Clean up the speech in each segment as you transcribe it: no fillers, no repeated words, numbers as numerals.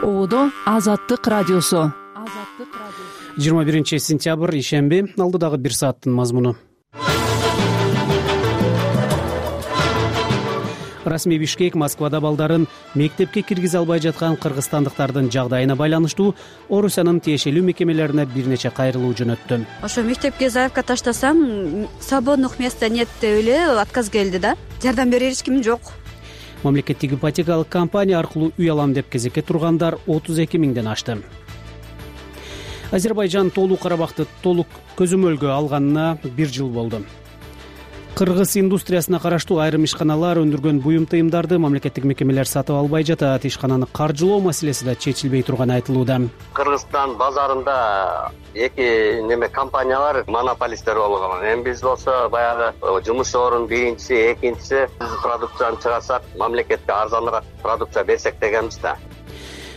Ободо Азаттык радиосу. 21 ишемби, алдыдагы бир сааттын мазмуну. Расмий Бишкек Москвада балдарын мектепке киргизе албай жаткан кыргызстандыктардын жагдайына байланыштуу Орусиянын тиешелүү мекемелерине бир нече кайрылуу жөнөттү. Ошо мектепке заявка таштасам, свободных места нет деп эле отказ келди да. Жардам берер эч ким жок. Мамлекеттик ипотекалык компания аркылуу үй алам деп кезекке тургандар 32 миңден ашты. Азербайжан Толук Карабакты толук көзөмөлгө алганына 1 жыл болду. Кыргыз индустриясына караштуу айрым ишканалар өндүргөн буюм тыйымдарды мамлекеттик мекемелер сатып албай жатат. Ишкананы каржылоо маселеси да чечилбей турганы айтылууда. Кыргызстан базарында эки компаниялар монополисттер болгон. Эми биз болсо баягы жумуш орун биринчиси, экинчиси продукцияны чыгарсак, мамлекетке арзаныраак продукция берсек дегенбиз да.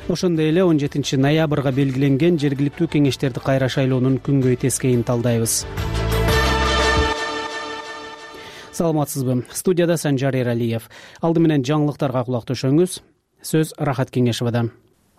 Ошондой эле 17 ноябрга белгиленген жергиликтүү кеңештерди кайра шайлоонун күнгөй тескейин талдайбыз. Саламатсызбы? Студияда Санжар Эралиев. Алды менен жаңылыктарга кулак төшөңүз. Сөз Рахат Кеңешевада.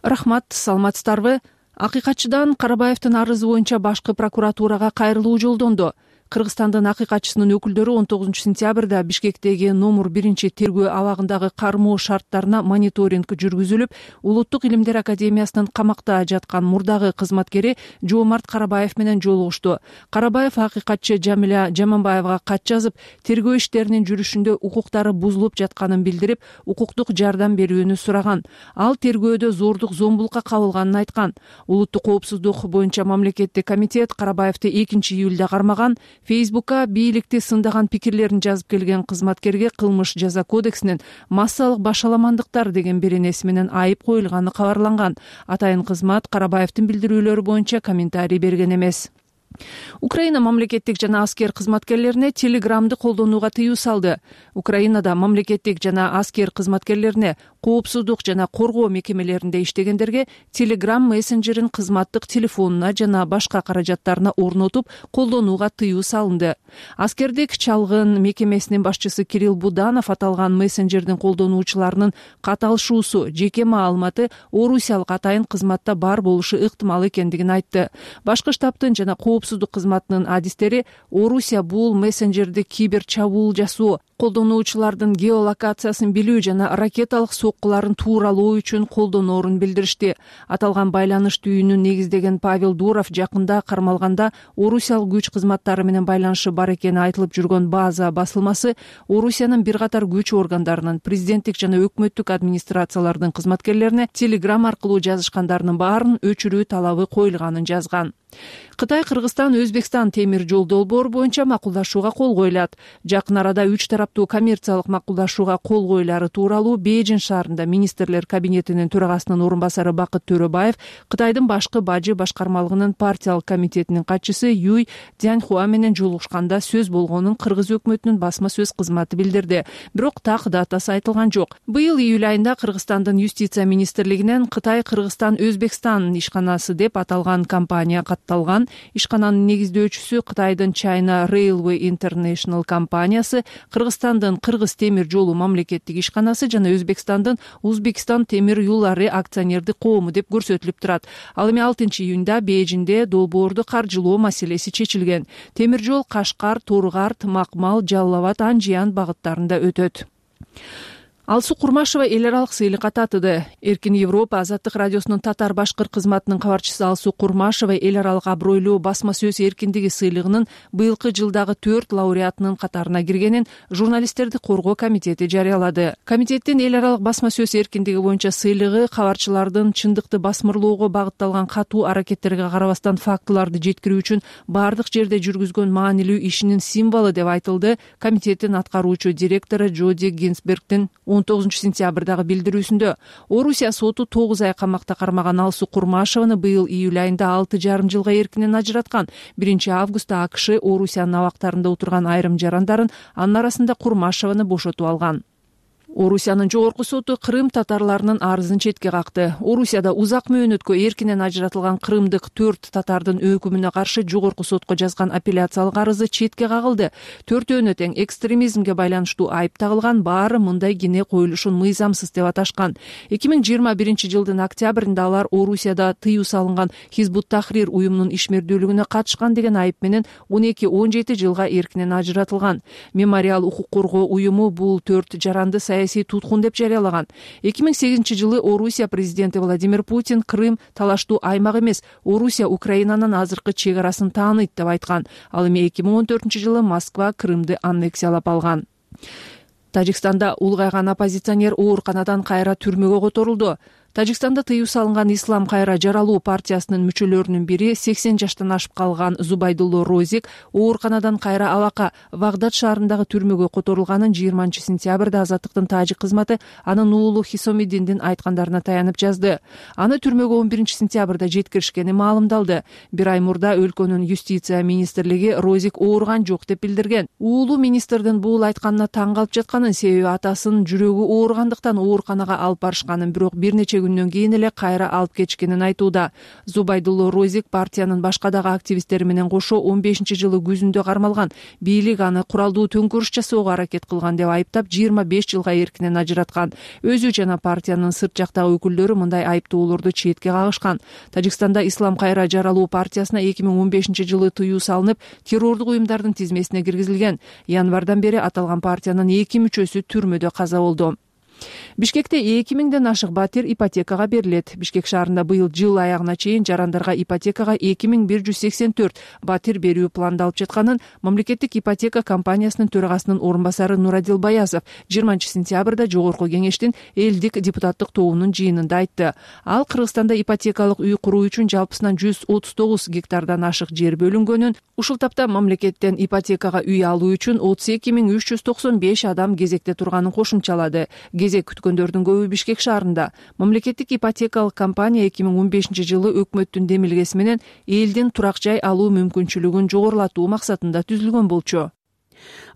Рахмат, саламатсыздарбы? Акыйкатчыдан Карабаевдин арызы боюнча башкы прокуратурага кайрылуу жолдонду. Кыргызстандын акыйкатчысынын өкүлдөрү 19 сентябрда Бишкектеги номер 1 тергөө абагындагы кармоо шарттарына мониторинг жүргүзүлүп, Улуттук илимдер академиясынын камакта жаткан мурдагы кызматкери Жоомарт Карабаев менен жолугушту. Карабаев акыйкатчы Жамиля Жаманбаевга кат жазып, тергөө иштеринин жүрүшүндө укуктары бузулуп жатканын билдирип, укуктук жардам берүүнү сураган. Ал тергөөдө зордук зомбулукка кабылганын айткан. Улуттук коопсуздук боюнча мамлекеттик комитет Карабаевди 2 июлда кармаган. Фейсбукка бийликти сындаган пикирлерин жазып келген кызматкерге кылмыш жаза кодексинин массалык башаламандыктар деген беренеси менен айып коюлганы кабарланган. Атайын кызмат Карабаевдин билдирүүлөрү боюнча комментарий берген эмес. Украина мамлекеттик жана аскер кызматкерлерине Телеграмды колдонууга тыюу салды. Украинада мамлекеттик жана аскер кызматкерлерине коопсуздук жана коргоо мекемелеринде иштегендерге Telegram мессенджерин кызматтык телефонуна жана башка каражаттарына орнотуп колдонууга тыюу салынды. Аскердик чалгын мекемесинин башчысы Кирилл Буданов аталган мессенджердин колдонуучуларынын каталышуусу, жеке маалыматы орусиялык атайын кызматта бар болушу ыктымал экендигин айтты. Башкы штабтын жана коопсуздук кызматынын адистери Орусия бул мессенджерди кибер чабуул жасоо, колдонуучулардын геолокациясын билүү жана ракеталык соккуларын тууралоо үчүн колдоноорун билдиришти. Аталган байланыш түйүнүн негиздеген Павел Дуров жакында кармалганда орусиялык күч кызматтары менен байланышы бар экени айтылып жүргөн база басылмасы Орусиянын бир катар күч органдарынын, президенттик жана өкмөттүк администрациялардын кызматкерлерине Telegram аркылуу жазышкандарынын баарын өчүрүү талабы коюлганын жазган. Кытай, Кыргызстан, Өзбекстан темир жол долбоору боюнча макулдашууга кол коюлат. Жакын арада 3 тараптуу коммерциялык макулдашууга кол коюлары тууралуу Бейжин шаарында министрлер кабинетинин төрагасынын орун басары Бакыт Төрөбаев Кытайдын башкы бажы башкармалыгынын партиялык комитетинин катчысы Юй Цзяньхуа менен жолугушканда сөз болгонун Кыргыз өкмөтүнүн басма сөз кызматы билдирди. Бирок так датасы айтылган жок. Быйыл июль айында Кыргызстандын юстиция министрлигинен Кытай, Кыргызстан, Өзбекстан ишканасы деп аталган компания катталган. Ишкананын негиздөөчүсү Кытайдын China Railway International компаниясы, Кыргызстандын Кыргыз темир жолу мамлекеттик ишканасы жана Өзбекстандын Узбекистан темир юллары акционердик коому деп көрсөтүлүп турат. Ал эми 6 июнда Бейжинде долбоорду каржылоо маселеси чечилген. Темир жол Кашкар, Торгарт, Макмал, Жалал-Абад, Анжиян багыттарында өтөт. Алсу Курмашева эл аралык сыйлыкка татыды. Эркин Европа Азаттык радиосунун татар башкыр кызматынын кабарчысы Алсу Курмашева эл аралык абройлуу басма сөз эркиндиги сыйлыгынын быйылкы жылдагы 4 лауреатынын катарына киргенин журналисттерди коргоо комитети жарыялады. Комитеттин эл аралык басма сөз эркиндиги боюнча сыйлыгы кабарчылардын чындыкты басмырлоого багытталган катуу аракеттерге карабастан фактыларды жеткирүү үчүн бардык жерде жүргүзгөн маанилүү ишинин символу деп айтылды комитеттин аткаруучу директору Джоди Гинсбергдин 19 сентябрдагы билдирүүсүндө. Орусия соту 9 ай камакта кармаган Алсу Курмашеваны быйыл июль айында 6,5 жылга эркинен ажыраткан. 1 августта АКШ Орусиянын абактарында отурган айрым жарандарын, анын арасында Курмашеваны бошотуп алган. Орусиянын жогорку соту Крым татарларынын арызын четке какты. Орусияда узак мөөнөткө эркинен ажыратылган крымдык 4 татардын өкүмүнө каршы жогорку сотко жазган апелляциялык арызы четке кагылды. Төртөөнө тең экстремизмге байланыштуу айып тагылган, баары мындай кине коюлушун мыйзамсыз деп аташкан. 2021-жылдын октябрында алар Орусияда тыюу салынган Хизбут Тахрир уюмунун ишмердүүлүгүнө катышкан деген айып менен 12-17 жылга эркинен ажыратылган. Мемориал укук коргоо уюму бул 4 жаранды саясий туткун деп жарыялаган. 2008-жылы Орусия президенти Владимир Путин Крым талаштуу аймак эмес, Орусия Украинанын азыркы чек арасын тааныйт деп айткан. Ал эми 2014-жылы Москва Крымды аннексиялап алган. Тажикстанда улгайган оппозиционер ооруканадан кайра түрмөгө которулду. Тажикстанда тыюу салынган Ислам кайра жаралуу партиясынын мүчөлөрүнүн бири 80 жаштан ашып калган Зубайдулло Розик ооруканадан кайра алака Вагдад шаарындагы түрмөгө которулганын 20-сентябрда Азаттыктын тажик кызматы анын уулу Хисомиддиндин айткандарына таянып жазды. Аны түрмөгө 11-сентябрда жеткиришкени маалымдалды. Бир ай мурда өлкөнүн юстиция министрлиги Розик ооруган жок деп билдирген. Уулу министрдин бул айтканына таң калып жатканын, себеби атасынын жүрөгү ооругандыктан ооруканага алып барышканын, бирок бир нече күндөн кийин эле кайра алып кетишкенин айтууда. Зубайдулло Розик партиянын башка дагы активисттери менен кошо 15-жылы күзүндө кармалган. Бийлик аны куралдуу төңкөрүш жасоого аракет кылган деп айыптап 25 жылга эркинен ажыраткан. Өзү жана партиянын сырт жактагы өкүлдөрү мындай айыптоолорду четке кагышкан. Тажикстанда Ислам кайра жаралуу партиясына 2015-жылы тыюу салынып, террордук уюмдардын тизмесине киргизилген. Январдан бери аталган партиянын 2 мүчөсү түрмөдө каза болду. Бишкекте 2000ден ашык батир ипотекага берилет. Бишкек шаарында быйыл жыл аягына чейин жарандарга ипотекага 2184 батир берүү пландалып жатканын мамлекеттик ипотека компаниясынын төрагасынын орун басары Нурадил Баязов 20-сентябрда жогорку кеңештин элдик депутаттык тобунун жыйынында айтты. Ал Кыргызстанда ипотекалык үй куруу үчүн жалпысынан 139 гектардан ашык жер бөлүнгөнүн, ушул тапта мамлекеттен ипотекага үй алуу үчүн 32395 адам кезекте турганын кошумчалады. Кезек күткөндөрдүн көбү Бишкек шаарында. Мамлекеттик ипотекалык компания 2015-жылы өкмөттүн демилгеси менен элдин турак жай алуу мүмкүнчүлүгүн жогорулатуу максатында түзүлгөн болчу.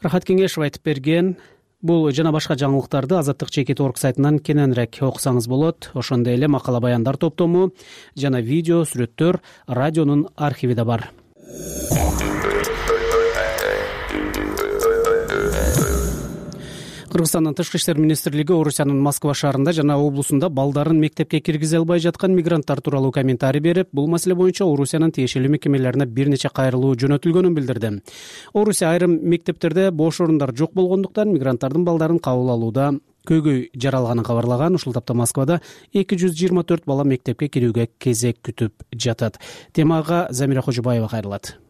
Рахат Кеңешов айтып берген. Бул жана башка жаңылыктарды Азаттык.org сайтынан кененирээк окусаңыз болот. Ошондой эле макала баяндар топтому жана видео, сүрөттөр радионун архивиде бар. Кыргызстандын Тышкы иштер министрлиги Орусиянын Москва шаарында жана облусунда балдарын мектепке киргизе албай жаткан мигранттар тууралуу комментарий берип, бул маселе боюнча Орусиянын тиешелүү мекемелерине бир нече кайрылуу жөнөтүлгөнүн билдирди. Орусия айрым мектептерде бош орундар жок болгондуктан мигранттардын балдарын кабыл алууда көйгөй жаралганын кабарлаган. Ушул тапта Москвада 224 бала мектепке кирүүгө кезек күтүп жатат. Темага Замира Кожобаева кайрылат.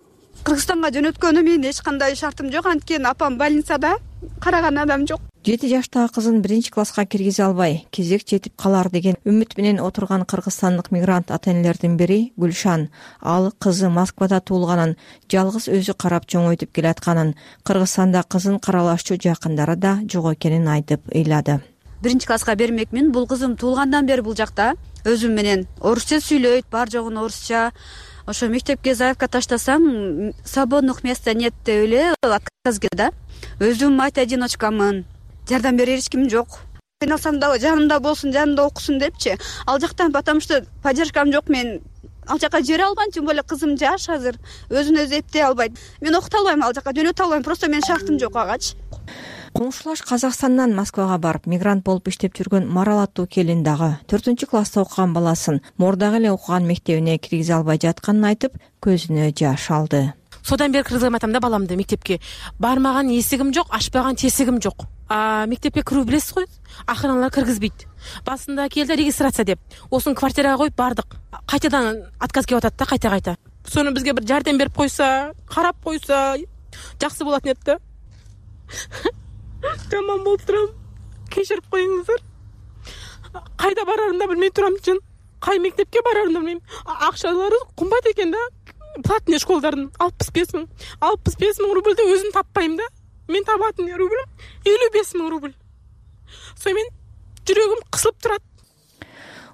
Кыргызстанга жөнөткөнүм менин эч кандай шартым жок, анткени апам больницада, караган адам жок. 7 жаштагы кызын 1-класска киргизе албай, кезек жетип калар деген үмүт менен отурган кыргызстандык мигрант ата-энелердин бири Гүлшан. Ал кызы Москвада туулганын, жалгыз өзү карап чоңойтуп келатканын, Кыргызстанда кызын каралашчу жакындары да жок экенин айтып ыйлады. 1-класска бермекмин. Бул кызым туулгандан бери бул жакта өзүм менен орусча сүйлөйт, бар жогун орусча. Ошо мектепке заявка таштасам, свободных места нет деп эле отказ келди да. Өзүм мать-одиночкамын. Жардам берер эч ким жок. Кыйналсам да жанымда болсун, жанымда окусун депчи. Ал жактан потому что поддержкам жок, мен ал жака жибере албайм, тем более кызым жаш азыр, өзүн өзү эптей албайт. Мен окута албайм, ал жака жөнөтө албайм, просто менин шартым жок агачы. Коңшулаш Казакстандан Москвага барып мигрант болуп иштеп жүргөн Марал аттуу келин дагы 4-класста окуган баласын мурдагы эле окуган мектебине киргизе албай жатканын айтып, көзүнө жаш алды. Содан бери кыргызган атам да баламды мектепке бармаган эсигим жок, ачпаган тесигим жок. Мектепке кирүү билесиз го, акыралар киргизбейт. Басында келди регистрация деп. Осын квартирага коюп бардык. Кайтадан отказ келип атат да, кайта. Сону бизге бир жардам берип койса, карап койса, жакшы болот экен да. Тамам болуп турам. Кечирип коюңуздар. Кайда барарымды да билбей турам чын. Кай мектепке барарымды билбейм. Акчалары кымбат экен да. Платный школдардын 65 000. 65 000 рубльди өзүм таппайм да. Мен табатын рубль 55 000 рубль. Со мен жүрөгүм кысылып турат.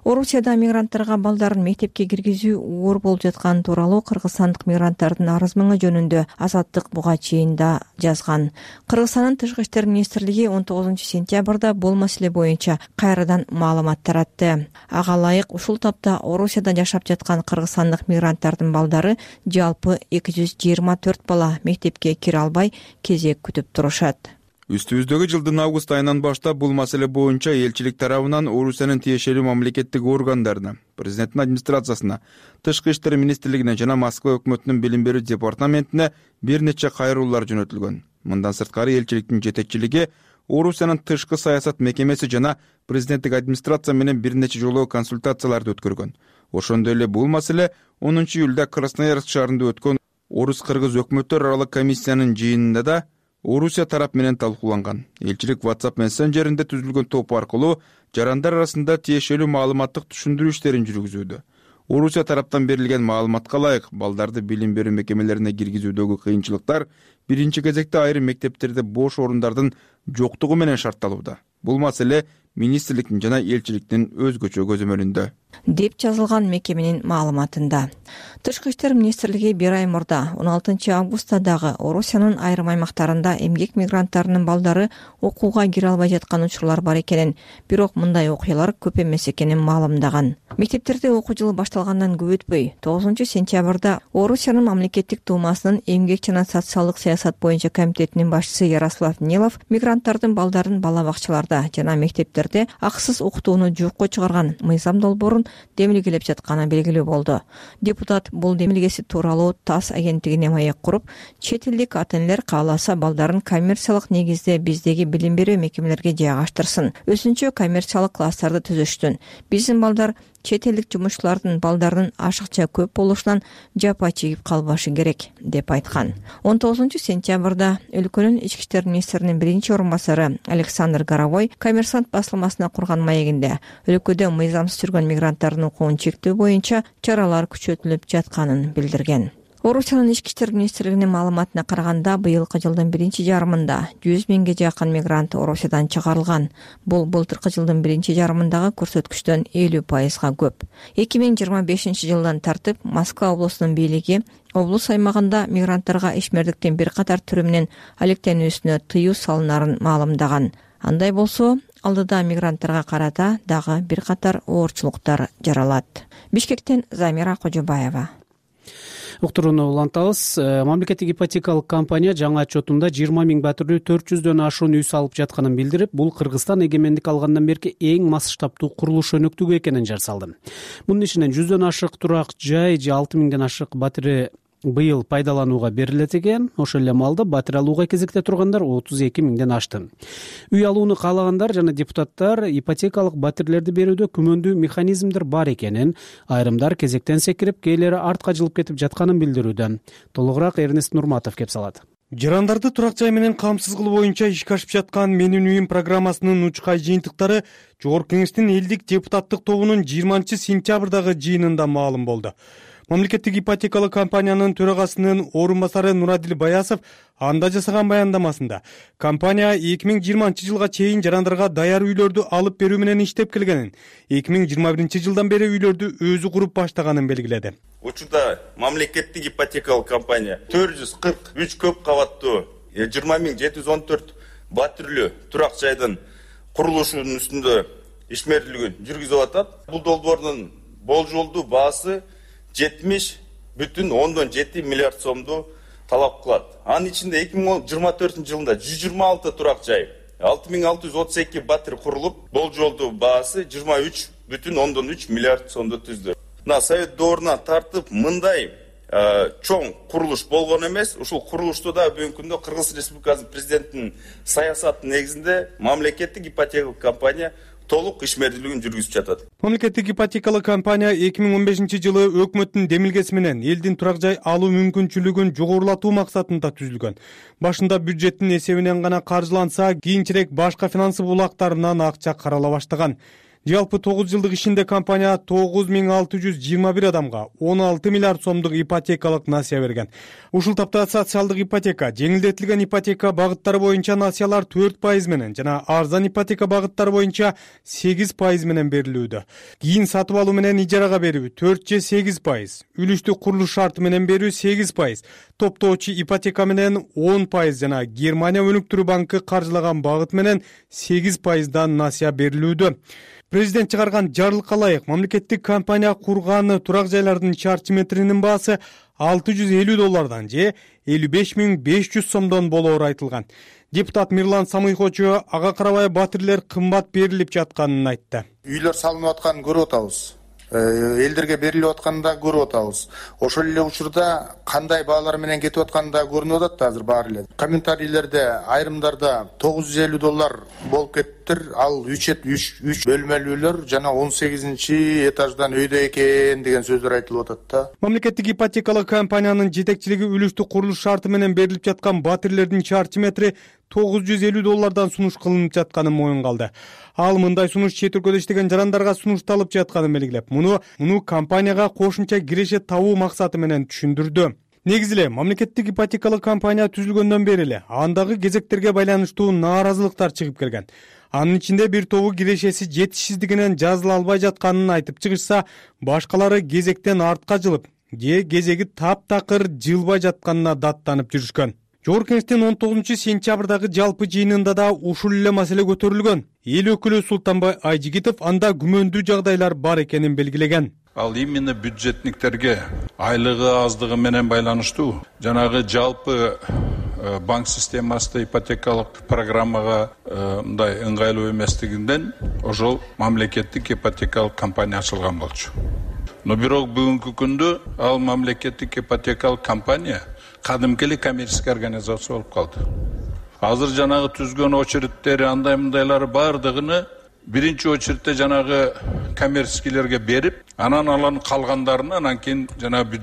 Орусияда мигранттарга балдарын мектепке киргизүү оор болуп жатканы тууралуу кыргызстандык мигранттардын арыз мыңы жөнүндө Азаттык буга чейин да жазган. Кыргызстандын Тышкы иштер министрлиги 19-сентябрда бул маселе боюнча кайрадан маалымат таратты. Ага ылайык ушул тапта Орусияда жашап жаткан кыргызстандык мигранттардын балдары жалпы 224 бала мектепке кире албай кезек күтүп турушат. Үстүбүздөгү жылдын август айынан баштап бул маселе боюнча элчилик тарабынан Орусиянын тиешелүү мамлекеттик органдарына, президенттин администрациясына, Тышкы иштер министрлигине жана Москва өкмөтүнүн билим берүү департаментине бир нече кайрылуулар жөнөтүлгөн. Мындан сырткары элчиликтин жетекчилиги Орусиянын тышкы саясат мекемеси жана президенттик администрация менен бир нече жолу консультацияларды өткөргөн. Ошондой эле бул маселе 10 июлда Красноярск шаарында өткөн Орус-кыргыз өкмөттөр аралык комиссиянын жыйынында да Орусия тарап менен талкууланган. Элчилик WhatsApp мессенджеринде түзүлгөн топ аркылуу жарандар арасында тиешелүү маалыматтык түшүндүрүү иштерин жүргүзүүдө. Орусия тараптан берилген маалыматка ылайык балдарды билим берүү мекемелерине киргизүүдөгү кыйынчылыктар биринчи кезекте айрым мектептерде бош орундардын жоктугу менен шартталууда. Бул маселе министрликтин жана элчиликтин өзгөчө көзөмөлүндө, деп жазылган мекеменин маалыматында. Тышкы иштер министрлиги бир ай мурда 16 августта дагы Орусиянын айрым аймактарында эмгек мигранттарынын балдары окууга кире албай жаткан учурлар бар экенин, бирок мындай окуялар көп эмес экенин маалымдаган. Мектептерде окуу жылы башталгандан көп өтпөй 9-сентябрда Орусиянын мамлекеттик думасынын эмгек жана социалдык саясат боюнча комитетинин башчысы Ярослав Нилов мигранттардын балдарын бала бакчаларда жана мектептерде акысыз окутууну жокко чыгарган мыйзам долбоорун демилгелеп жатканы белгилүү болду. Депутат бул демилгеси тууралуу ТАСС агенттигине маек куруп, чет элдик ата-энелер кааласа балдарын коммерциялык негизде биздеги билим берүү мекемелерге жайгаштырсын, өзүнчө коммерциялык класстарды түзүштүн. Биздин балдар чет элдик жумушчулардын балдарынын ашыкча көп болушунан жапа чегип калбашы керек, деп айткан. 19-сентябрда өлкөнүн ички иштер министринин биринчи орун басары Александр Горовой Коммерсант басылмасына курган маегинде өлкөдө мыйзамсыз жүргөн мигранттардын укугун чектөө боюнча чаралар күчөтүлүп жатканын билдирген. Орусиянын ички иштер министрлигинин маалыматына караганда, быйылкы жылдын биринчи жарымында 100 миңге жакын мигрант Орусиядан чыгарылган. Бул былтыркы жылдын биринчи жарымындагы көрсөткүчтөн 50%га көп. 2025 жылдан тартып Москва облусунун бийлиги облус аймагында мигранттарга ишмердиктин бир катар түрү менен алектенүүсүнө тыюу салынарын маалымдаган. Андай болсо, алдыда мигранттарга карата дагы бир катар оорчулуктар жаралат. Бишкектен Замира Кожобаева. Уктурууну улантабыз. Мамлекеттик ипотекалык компания жаңы отчетунда 20 миң батирлүү 400дөн ашуун үй салып жатканын билдирип, бул Кыргызстан эгемендик алгандан берки эң масштабдуу курулуш өнөктүгү экенин жарсалды. Мунун ичинен 100дөн ашык турак жай же 6 миңден ашык батири быйыл пайдаланууга берилет экен. Ошол эле маалда батир алууга кезекте тургандар 32 миңден ашты. Үй алууну каалагандар жана депутаттар ипотекалык батирлерди берүүдө күмөндүү механизмдер бар экенин, айрымдар кезектен секирип, кээлери артка жылып кетип жатканын билдирүүдө. Толугураак Эрнест Нурматов кеп салат. Жарандарды турак жай менен камсыз кылуу боюнча ишке ашып жаткан Менин үйүм программасынын учкай жыйынтыктары Жогорку Кеңештин элдик депутаттык тобунун 20-сентябрдагы жыйынында маалым болду. Мамлекеттик ипотекалык компаниянын төрагасынын орун басары Нурадил Баясов анда жасаган баяндамасында компания 2020 жылга чейин жарандарга даяр үйлөрдү алып берүү менен иштеп келгенин, 2021 жылдан бери үйлөрдү өзү куруп баштаганын белгиледи. Учурда мамлекеттик ипотекалык компания 443 көп кабаттуу 20.714 батирлүү турак жайдын курулушунун үстүндө ишмердүүлүгүн жүргүзүп атат. Бул долбоордун болжолдуу баасы 70,7 миллиард сомду талап кылат. Анын ичинде 2024 жылында 126 турак жай, 6632 батир курулуп, болжолдуу баасы 23,3 миллиард сомду түздү. Совет доорунан тартып мындай чоң курулуш болгон эмес. Ушул курулушту да бүгүнкү күндө Кыргыз Республикасынын президентинин саясатынын негизинде мамлекеттик ипотекалык компания толук ишмердүүлүгүн жүргүзүп жатат. Мамлекеттик ипотекалык компания 2015 жылы өкмөттүн демилгеси менен элдин турак жай алуу мүмкүнчүлүгүн жогорулатуу максатында түзүлгөн. Башында бюджеттин эсебинен гана каржыланса, кийинчерээк башка финансы булактарынан акча карала баштаган. Жалпы 9 жылдык ишинде компания 9621 адамга 16 миллиард сомдук ипотекалык насыя берген. Ушул тапта социалдык ипотека, жеңилдетилген ипотека багыттары боюнча насыялар 4% менен жана арзан ипотека багыттары боюнча 8% менен берилүүдө. Кийин сатып алуу менен ижарага берүү 4 же 8%, үлүштүк курулуш шарты менен берүү 8%, топтоочу ипотека менен 10% жана Германия өнүктүрүү банкы каржылаган багыт менен 8%дан насыя берилүүдө. Президент чыгарган жарлыкка ылайык мамлекеттик компания курган турак жайлардын чарчы метринин баасы $650 же 55.500 сомдон болоору айтылган. Депутат Мирлан Самыйхочу ага карабай батирлер кымбат берилип жатканын айтты. Үйлөр салынып атканын көрүп атабыз. Элдерге берилип атканын да көрүп атабыз. Ошол эле учурда кандай баалар менен кетип атканы да көрүнүп атат азыр баары эле. Комментарийлерде айрымдарда $950 болуп кеттир, ал 3 бөлмөлүү үйлөр жана 18-этаждан өйдө экен деген сөздөр айтылып атат да. Мамлекеттик ипотекалык компаниянын жетекчилиги үлүштүк курулуш шарты менен берилип жаткан батирлердин чарчы метри $950 сунуш кылынып жатканын моюнга алды. Ал мындай сунуш чет өлкөдө иштеген жарандарга сунушталып жатканын белгилеп, муну компанияга кошумча киреше табуу максаты менен түшүндүрдү. Негизи эле мамлекеттик ипотекалык компания түзүлгөндөн бери эле андагы кезектерге байланыштуу нааразылыктар чыгып келген. Анын ичинде бир тобу кирешеси жетишсиздигинен жазыла албай жатканын айтып чыгышса, башкалары кезектен артка жылып, же кезеги таптакыр жылбай жатканына даттанып жүрүшкөн. Жогорку Кеңештин 19-сентябрдагы жалпы жыйынында да ушул эле маселе көтөрүлгөн. Эл өкүлү Султанбай Айжигитов анда күмөндүү жагдайлар бар экенин белгилеген. Ал именно бюджетниктерге айлыгы аздыгы менен байланыштуу жанагы жалпы банк системасында ипотекалык программага мындай ыңгайлуу эместигинден ошол мамлекеттик ипотекалык компания ачылган болчу. Но бирок бүгүнкү күндө ал мамлекеттик ипотекалык компания кадимки эле коммерческий организация болуп калды. Азыр жанагы түзгөн очередтери андай мындайлары бардыгыны биринчи очередте жанагы коммерческийлерге берип, анан алардын калгандарына анан кийин жанагы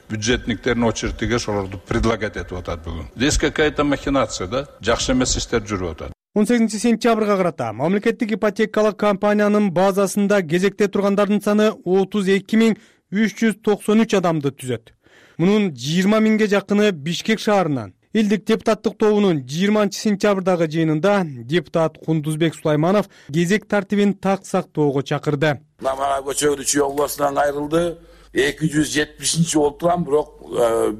бюджетниктердин очередиге ошолорду предлагать этип атат бүгүн. Здесь какая-то махинация, да? Жакшы эмес иштер жүрүп атат. 18-сентябрга карата мамлекеттик ипотекалык компаниянын базасында кезекте тургандардын саны 32.393 адамды түзөт. Мунун 20 миңге жакыны Бишкек шаарынан. Элдик депутаттык тобунун 20-сентябрдагы жыйынында депутат Кундузбек Сулайманов кезек тартибин так сактоого чакырды. Мага көчөгү Чүй областынан айрылды. 270 болуп турган, бирок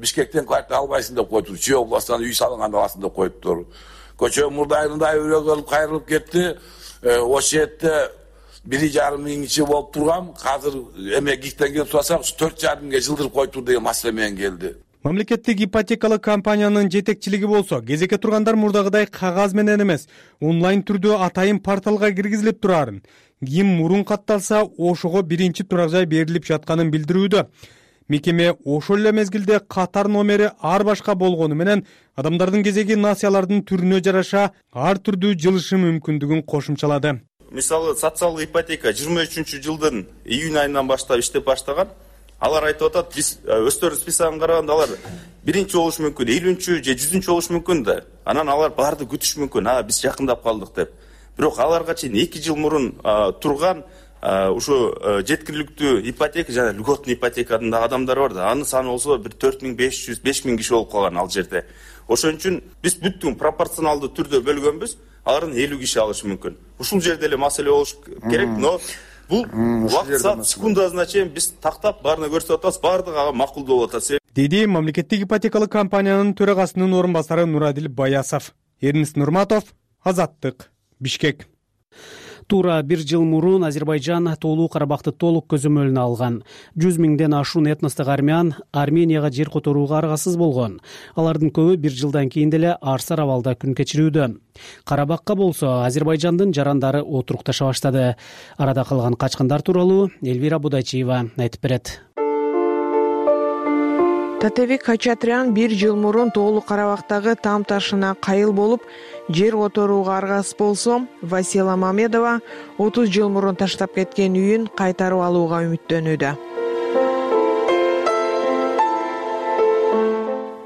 Бишкектен квартира албайсың деп коюптур. Чүй областынан үй салынган аласың деп коюптур. Көчө мурдайында өрөөгө кайрылып кетти. Ошол жерде 1,5 миң ичи болуп турган, азыр эме гиктен келип турсак 4,5 миңге жылдырып коюптур деген маселе менен келди. Мамлекеттик ипотекалык компаниянын жетекчилиги болсо, кезекке тургандар мурдагыдай кагаз менен эмес, онлайн түрдө атайын порталга киргизилип турарын, ким мурун катталса, ошого биринчи турак жай берилип жатканын билдирүүдө. Мекеме ошол эле мезгилде катар номери ар башка болгону менен адамдардын кезеги насыялардын түрүнө жараша ар түрдүү жылышы мүмкүндүгүн кошумчалады. Мисалы, социалдык ипотека 23-жылдын июнь айынан баштап иштеп баштаган. Алар айтып атат, биз өздөрүнүн списогун караганда алар биринчи болушу мүмкүн, 50-чү же 100-чү болушу мүмкүн да. Анан алар барды күтүш мүмкүн, биз жакындап калдык деп. Бирок аларга чейин 2 жыл мурун турган ушу жеткиликтүү ипотека жана льготный ипотеканын адамдар бар да. Анын саны болсо бир 4500-5000 киши болуп калган ал жерде. Ошон үчүн биз бүттүн пропорционалдуу түрдө бөлгөнбүз, алардын 50 киши алышы мүмкүн. Ушул жерде эле маселе болуш керек, но бул убакыт саат секундасына чейин биз тактап баарына көрсөтүп атабыз, баардыгы ага макулдуу болуп атат. Деди мамлекеттик ипотекалык компаниянын төрагасынын орун басары Нурадил Баясов. Эрнис Нурматов, Азаттык, Бишкек. Туура 1 жыл мурун Азербайжан Тоолуу Карабакты толук көзөмөлүнө алган. 100 миңден ашуун этностук армян Арменияга жер которууга аргасыз болгон. Алардын көбү 1 жылдан кийин деле арсар абалда күн кечирүүдө. Карабакка болсо Азербайжандын жарандары отурукташа баштады. Арада калган качкындар тууралуу Элвира Будайчиева айтып берет. Татебек Хачатрян 1 жыл мурун Тоолуу Карабактагы там ташына кайыл болуп, жер которууга аргасыз болсо, Васила Мамедова 30 жыл мурун таштап кеткен үйүн кайтарып алууга үмүттөнүүдө.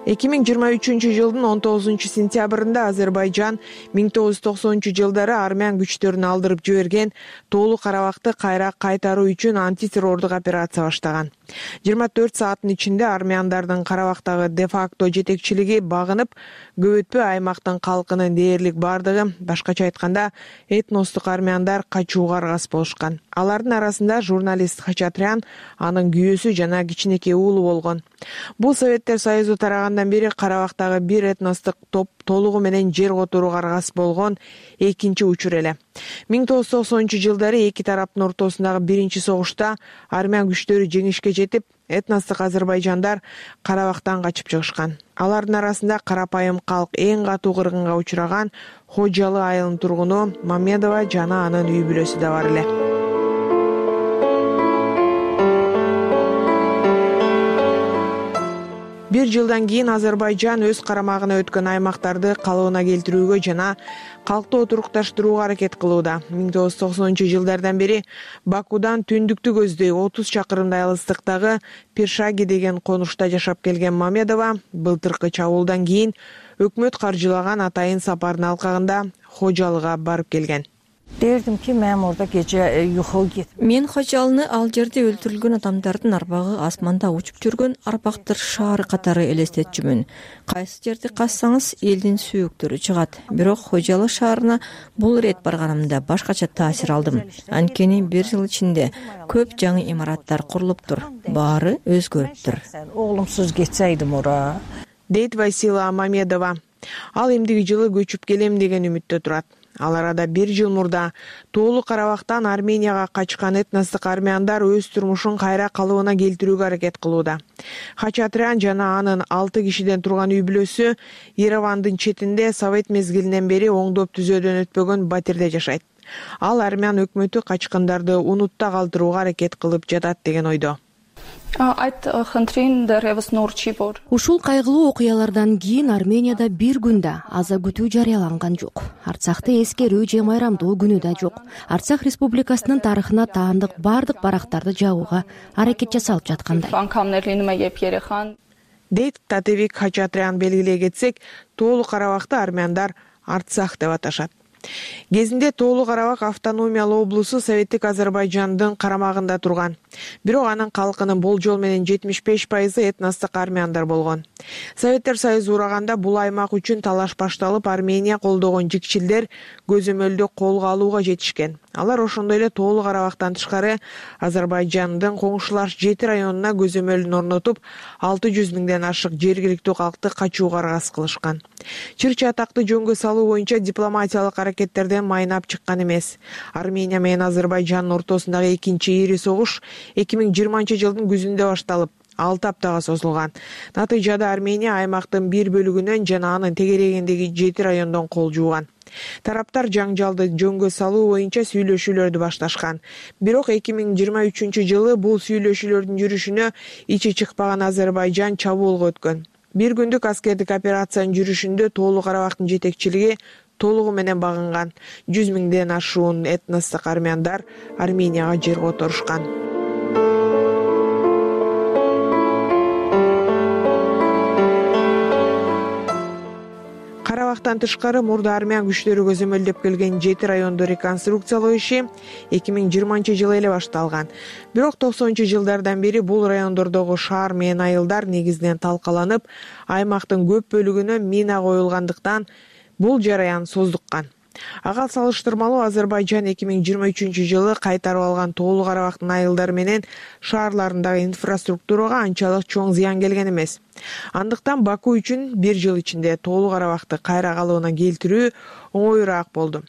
2023 жылдын 19 сентябрында Азербайжан 1990 жылдары армян күчтөрүн алдырып жиберген Тоолу Карабакты кайра кайтаруу үчүн антитеррордук операция баштаган. 24 сааттын ичинде армяндардын Карабактагы де-факто жетекчилиги багынып, көп өтпөй аймактын калкынын дээрлик бардыгы, башкача айтканда, этностук армяндар качууга аргасыз болушкан. Алардын арасында журналист Хачатрян, анын күйөөсү жана кичинекей уулу болгон. Бул Советтер Союзу тарагандан бери Карабактагы бир этностук топ толугу менен жер которууга аргасыз болгон экинчи учур эле. 1990 жылдары эки тараптын ортосундагы биринчи согушта армян күчтөрү жеңишке жетип, этностук азербайжандар Карабактан качып чыгышкан. Алардын арасында карапайым калк эң катуу кыргынга учураган Хожалы айылынын тургуну Мамедова жана анын үй бүлөсү да бар эле. Бир жылдан кийин Азербайжан өз карамагына өткөн аймактарды калыбына келтирүүгө жана калкты отурукташтырууга аракет кылууда. 1990 жылдардан бери Бакудан түндүктү көздөй 30 чакырымдай алыстыктагы Пиршаги деген конушта жашап келген Мамедова былтыркы чабуулдан кийин өкмөт каржылаган атайын сапардын алкагында Хожалыга барып келген. Derdim ki men orada gece yuxu gittim. Мен Хожалыны ал жерде өлтүрүлгөн адамдардын арбагы асманда учуп жүргөн арбактыр шаары катары элестетчүмүн. Кайсы жерди казсаңыз элдин сүйүктөрү чыгат. Бирок Хожалы шаарына бул ирет барганымда башкача таасир алдым. Анткени бир жыл ичинде көп жаңы имараттар курулуптур. Баары өзгөрүптүр. Oğlumsuz geçseydim ora. Дейт Васила Мамедова. Ал эмдиги жылы көчүп келем деген үмүттө турат. Ал арада бир жыл мурда Тоолу Карабактан Арменияга качкан этностук армяндар өз турмушун кайра калыбына келтирүүгө аракет кылууда. Хачатрян жана анын 6 кишиден турган үй бүлөсү Еревандын четинде Совет мезгилинен бери оңдоп түзөөдөн өтпөгөн батирде жашайт. Ал армян өкмөтү качкындарды унутта калтырууга аракет кылып жатат деген ойдо. Ушул кайгылуу окуялардан кийин Арменияда бир күн да аза күтүү жарыяланган жок. Арцахты эскерүү же майрамдоо күнү да жок. Арцах Республикасынын тарыхына таандык бардык барактарды жабууга аракет жасалып жаткандай. Дейт Татевик Хачатрян белгилей кетсек, Тоолу Карабакты армяндар Арцах деп аташат. Кезинде Тоолу Карабак автономиялуу облусу Советтик Азербайжандын карамагында турган. Бирок анын калкынын болжол менен 75% этностук армяндар болгон. Советтер Союзу ураганда бул аймак үчүн талаш башталып, Армения колдогон жикчилдер көзөмөлдү колго алууга жетишкен. Алар ошондой эле Тоолу Карабактан тышкары Азербайжандын коңшулаш 7 районуна көзөмөлүн орнотуп, 600 миңден ашык жергиликтүү калкты качууга аргасыз кылышкан. Чыр-чатакты жөнгө салуу боюнча дипломатиялык аракеттерден майнап чыккан эмес. Армения менен Азербайжандын ортосундагы экинчи ири согуш 2020 жылдын күзүндө башталып, 6 аптага созулган. Натыйжада Армения аймактын бир бөлүгүнөн жана анын тегерегиндеги 7 райондон кол жууган. Тараптар жаңжалды жөнгө салуу боюнча сүйлөшүүлөрдү башташкан. Бирок 2023 жылы бул сүйлөшүүлөрдүн жүрүшүнө ичи чыкпаган Азербайжан чабуулга өткөн. Бир күндүк аскердик операциянын жүрүшүндө Тоолу Карабактын жетекчилиги толугу менен багынган. 100 миңден ашуун этностук армяндар Арменияга жер которушкан. Карабактан тышкары мурда армян күчтөрү көзөмөлдөп келген 7 районду реконструкциялоо иши 2020 жылы эле башталган. Бирок 90 жылдардан бери бул райондордогу шаар менен айылдар негизинен талкаланып, аймактын көп бөлүгүнө мина коюлгандыктан бул жараян создуккан. Ага салыштырмалуу Азербайжан 2023 жылы кайтарып алган Тоолу Карабактын айылдары менен шаарларындагы инфраструктурага анчалык чоң зыян келген эмес. Андыктан Баку үчүн бир жыл ичинде Тоолу Карабакты кайра калыбына келтирүү оңоюраак болду.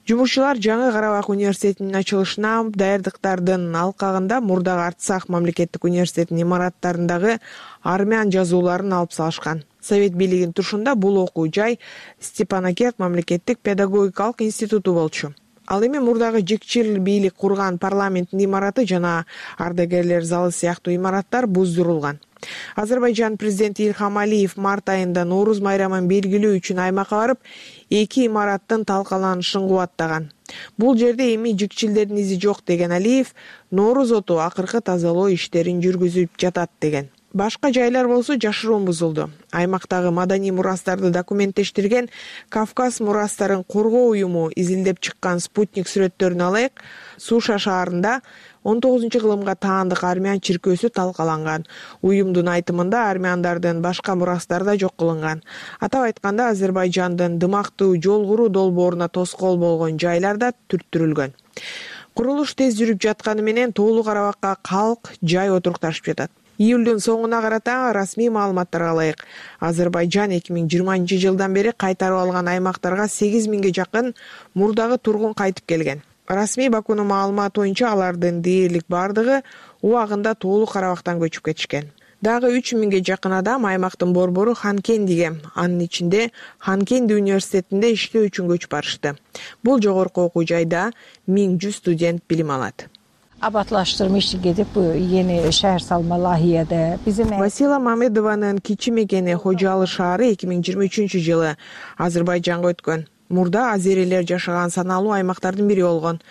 Жумушчулар Жаңы Карабак университетинин ачылышына даярдыктардын алкагында мурдагы Арцах мамлекеттик университетинин имараттарындагы армян жазууларын алып салышкан. Совет бийлигинин тушунда бул окуу жай Степанакерт мамлекеттик педагогикалык институту болчу. Ал эми мурдагы жикчил бийлик курган парламенттин имараты жана ардагерлер залы сыяктуу имараттар буздурулган. Азербайжан президенти Ильхам Алиев март айында Нооруз майрамын белгилөө үчүн аймакка барып, эки имараттын талкаланышын кубаттаган. Бул жерде эми жикчилдердин изи жок деген Алиев, Нооруз оту акыркы тазалоо иштерин жүргүзүп жатат деген. Башка жайлар болсо жашыруун бузулду. Аймактагы маданий мурастарды документтештирген Кавказ мурастарын коргоо уюму изилдеп чыккан спутник сүрөттөрүн алайык. Суша шаарында 19-кылымга таандык армян чиркөөсү талкаланган. Уюмдун айтымында армяндардын башка мурастарда жок кылынган. Атап айтканда Азербайжандын дымактуу жол куруу долбооруна тоскоол болгон жайларда түрттүрүлгөн. Курулуш тез жүрүп жатканы менен Тоолуу Карабакка калк жай отурукташып жатат. Июлдун соңуна карата расмий маалыматтарга ылайык Азербайжан 2020-жылдан бери кайтарып алган аймактарга 8000ге жакын мурдагы тургун кайтып келген. Расмий Бакунун маалыматы боюнча алардын дээрлик бардыгы убагында Тоолуу Карабактан көчүп кетишкен. Дагы 3000ге жакын адам аймактын борбору Ханкендиге, анын ичинде Ханкенди университетинде иштөө үчүн көчүп барышты. Бул жогорку окуу жайда 1100 студент билим алат. Абатлаштырма иши кетип, yeni шаар салма лайыяда Васила Мамедованын кичи мекени Хожалы шаары 2023-жылы Азербайжанга өткөн. Мурда азерилер жашаган саналуу аймактардын бири болгон.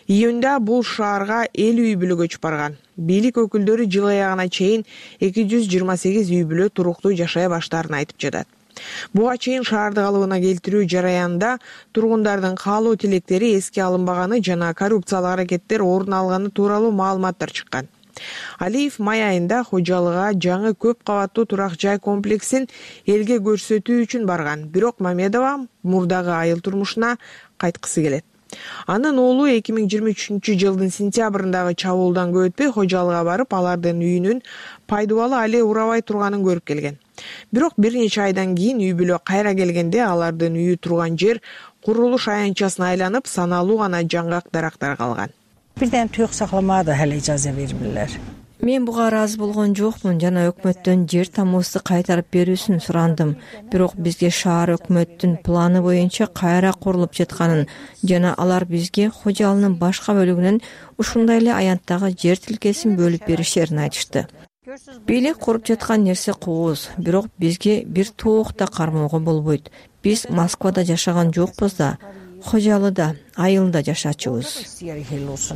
Июнда бул шаарга 50 үй бүлө көчүп барган. Бийлик өкүлдөрү жыл аягына чейин 228 үй бүлө туруктуу жашай баштаарын айтып жатат. Буга чейин шаарды калыбына келтирүү жараянында тургундардын каалоо тилектери эске алынбаганы жана коррупциялык аракеттер орун алганы тууралуу маалыматтар чыккан. Алиев май айында Хожалыга жаңы көп кабаттуу турак жай комплексин элге көрсөтүү үчүн барган. Бирок Мамедова мурдагы айыл турмушуна кайткысы келет. Анын уулу 2023-жылдын сентябрындагы чабуулдан көп өтпөй Хожалыга барып, алардын үйүнүн пайдубалы али урабай турганын көрүп келген. Бирок бир нече айдан кийин үй бүлө кайра келгенде алардын үйү турган жер курулуш аянтчасына айланып, саналуу гана жаңгак дарактар калган. Birden tüyük saklamaya da hele icazə vermirlər. Мен буга ыраазы болгон жокмун жана өкмөттөн жер тамуусу кайтарып берүүсүн сурандым. Бирок бизге шаар өкмөттүн планы боюнча кайра курулуп жатканын жана алар бизге Хожалынын башка бөлүгүнөн ушундай эле аянттагы жер тилкесин бөлүп беришерин айтышты. Бийлик куруп жаткан нерсе кооз, бирок бизге бир тоок да кармоого болбойт. Биз Москвада жашаган жокпуз да, Хожалыда, айылда жашачубуз.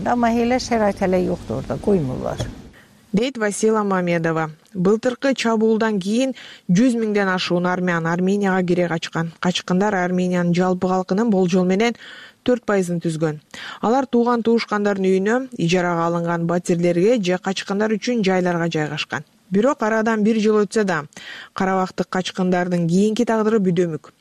Ama hele şerait hele yoktu orada, koymurlar. Дейт Васила Мамедова. Былтыркы чабуулдан кийин 100 миңден ашуун армян Арменияга кире качкан. Качкындар Армениянын жалпы калкынын болжол менен 4% түзгөн. Алар тууган туушкандардын үйүнө, ижарага алынган батирлерге же качкындар үчүн жайларга жайгашкан. Бирок арадан 1 жыл өтсө да, карабактык качкындардын кийинки тагдыры бүдөмүк.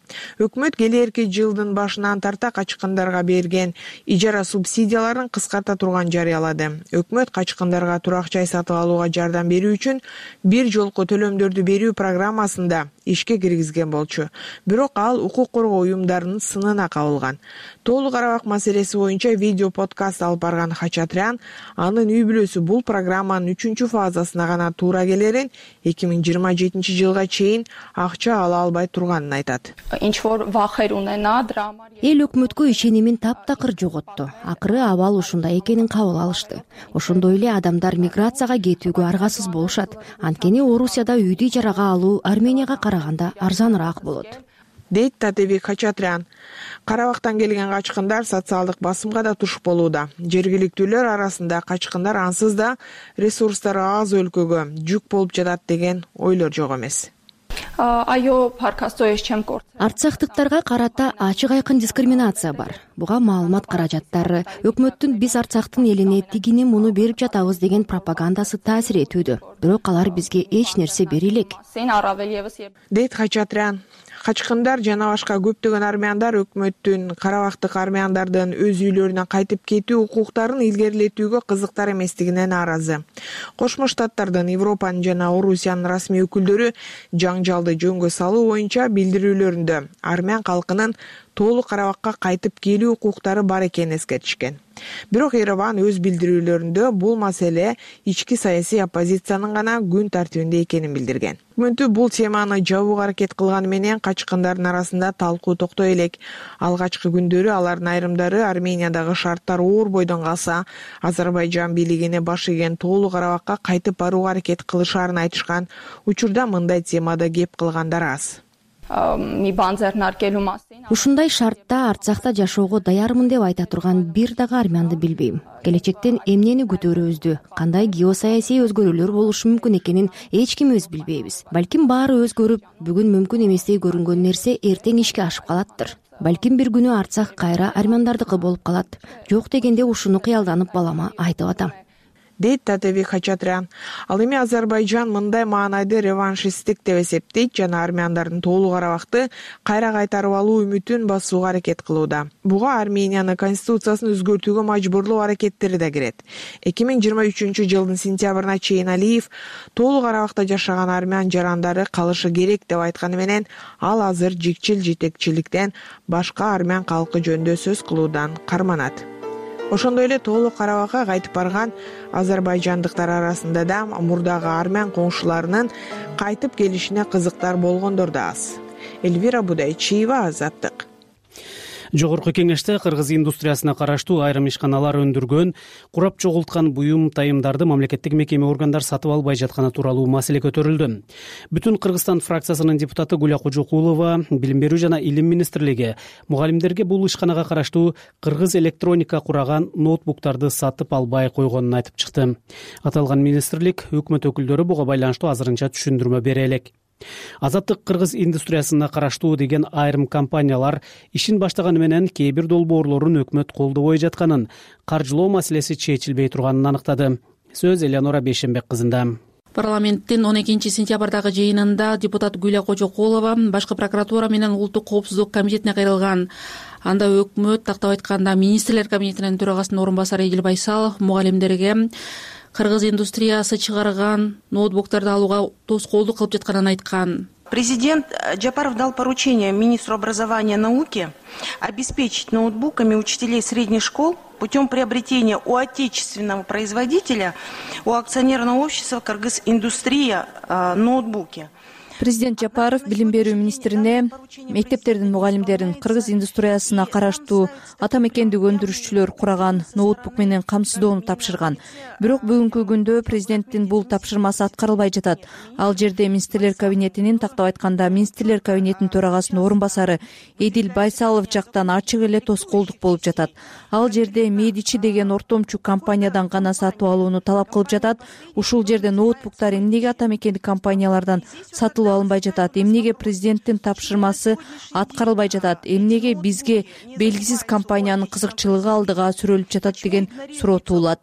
Өкмөт келерки жылдын башынан тарта качкындарга берген ижара субсидияларын кыскарта турган жарыялады. Өкмөт качкындарга турак жай сатып алууга жардам берүү үчүн бир жолку төлөмдөрдү берүү программасында ишке киргизген болчу. Бирок ал укук коргоо уюмдарынын сынына кабылган. Тоолуу Карабак маселеси боюнча видео подкаст алып барган Хачатрян анын үй бүлөсү бул программанын 3-фазасына гана туура келерин, 2027-жылга чейин акча ала албай турганын айтат. Эл өкмөткө ишенимин таптакыр жоготту. Акыры абал ушундай экенин кабыл алышты. Ошондой эле адамдар миграцияга кетүүгө аргасыз болушат. Анткени Орусияда үйдү ижарага алуу Арменияга караганда арзаныраак болот. Дейт Татебек Хачатрян. Карабактан келген качкындар социалдык басымга да туш болууда. Жергиликтүүлөр арасында качкындар ансыз да ресурстары аз өлкөгө жүк болуп жатат деген ойлор жок эмес. Арцахтыктарга карата ачык айкын дискриминация бар. Буга маалымат каражаттары, өкмөттүн биз Арцахтын элине тигини муну берип жатабыз деген пропагандасы таасир этүүдө. Бирок алар бизге эч нерсе бере элек. Дейт Хачатрян. Качкындар жана башка көптөгөн армяндар өкмөттүн карабактык армяндардын өз үйлөрүнө кайтып кетүү укуктарын илгерилетүүгө кызыктар эместигине нааразы. Кошмо Штаттардын, Европанын жана Орусиянын расмий өкүлдөрү жаңжалды жөнгө салуу боюнча билдирүүлөрүндө армян калкынын Тоолуу Карабакка кайтып келүү укуктары бар экенин эскертишкен. Бирок Ереван өз билдирүүлөрүндө бул маселе ички саясий оппозициянын гана күн тартибинде экенин билдирген. Өкмөтү бул теманы жабууга аракет кылганы менен качкындардын арасында талкуу токтой элек. Алгачкы күндөрү алардын айрымдары Армениядагы шарттар оор бойдон калса, Азербайжан бийлигине баш ийген Тоолуу Карабакка кайтып барууга аракет кылышаарын айтышкан. Учурда мындай темада кеп кылгандар аз. Ушундай шартта Арцахта жашоого даярмын деп айта турган бир дагы армянды билбейм. Келечектен эмнени күтөрүбүздү, кандай геосаясий өзгөрүүлөр болушу мүмкүн экенин эч кимибиз билбейбиз. Балким баары өзгөрүп, бүгүн мүмкүн эместей көрүнгөн нерсе эртең ишке ашып калаттыр. Балким бир күнү Арцах кайра армяндардыкы болуп калат. Жок дегенде ушуну кыялданып балама айтып атам, дейт Татебек Хачатрян. Ал эми Азербайжан мындай маанайды реваншисттик деп эсептейт жана армяндардын Тоолу Карабакты кайра кайтарып алуу үмүтүн басууга аракет кылууда. Буга Армениянын конституциясын өзгөртүүгө мажбурлоо аракеттери да кирет. 2023 жылдын сентябрына чейин Алиев Тоолу Карабакта жашаган армян жарандары калышы керек деп айтканы менен ал азыр жикчил жетекчиликтен башка армян калкы жөнүндө сөз кылуудан карманат. Ошондой эле Тоолу Карабакка кайтып барган азербайжандыктар арасында да мурдагы армян коңшуларынын кайтып келишине кызыктар болгондор да аз. Эльвира Будайчиева, Азаттык. Жогорку кеңеште кыргыз индустриясына караштуу айрым ишканалар өндүргөн, курап чогулткан буюм тайымдарды мамлекеттик мекеме органдар сатып албай жатканы тууралуу маселе көтөрүлдү. Бүтүн Кыргызстан фракциясынын депутаты Гуля Кожокулова Билим берүү жана Илим министрлиги мугалимдерге бул ишканага караштуу кыргыз электроника кураган ноутбуктарды сатып албай койгонун айтып чыкты. Аталган министрлик өкмөт өкүлдөрү буга байланыштуу азырынча түшүндүрмө бере элек. Азаттык кыргыз индустриясына караштуу деген айрым компаниялар ишин баштаганы менен кээ бир долбоорлорун өкмөт колдобой жатканын, каржылоо маселеси чечилбей турганын аныктады. Сөз Элеонора Бейшенбек кызында. Парламенттин 12 сентябрдагы жыйынында депутат Гүля Кожокулова башкы прокуратура менен улуттук коопсуздук комитетине кайрылган. Анда өкмөт, тактап айтканда, министрлер кабинетинин төрагасынын орун басары Эдил Байсалов мугалимдерге кыргыз индустриясы чыгарган ноутбуктарды алууга тоскоолдук кылып жатканын айткан. Президент Джапаров дал поручение министру образования и науки обеспечить ноутбуками учителей средних школ путем приобретения у отечественного производителя, у акционерного общества «Кыргыз-индустрия» ноутбуки. Президент Жапаров билим берүү министрине мектептердин мугалимдерин кыргыз индустриясына караштуу ата мекендик өндүрүшчүлөр кураган ноутбук менен камсыздоону тапшырган. Бирок бүгүнкү күндө президенттин бул тапшырмасы аткарылбай жатат. Ал жерде министрлер кабинетинин, тактап айтканда, министрлер кабинетинин төрагасынын орун басары Эдил Байсалов жактан ачык эле тоскоолдук болуп жатат. Ал жерде Медичи деген ортомчу компаниядан гана сатып алууну талап кылып жатат. Ушул жерде ноутбуктар эмнеге ата мекендик компаниялардан сатылып алынбай жатат? Эмнеге президенттин тапшырмасы аткарылбай жатат? Эмнеге бизге белгисиз компаниянын кызыкчылыгы алдыга сүрөлүп жатат деген суроо туулат.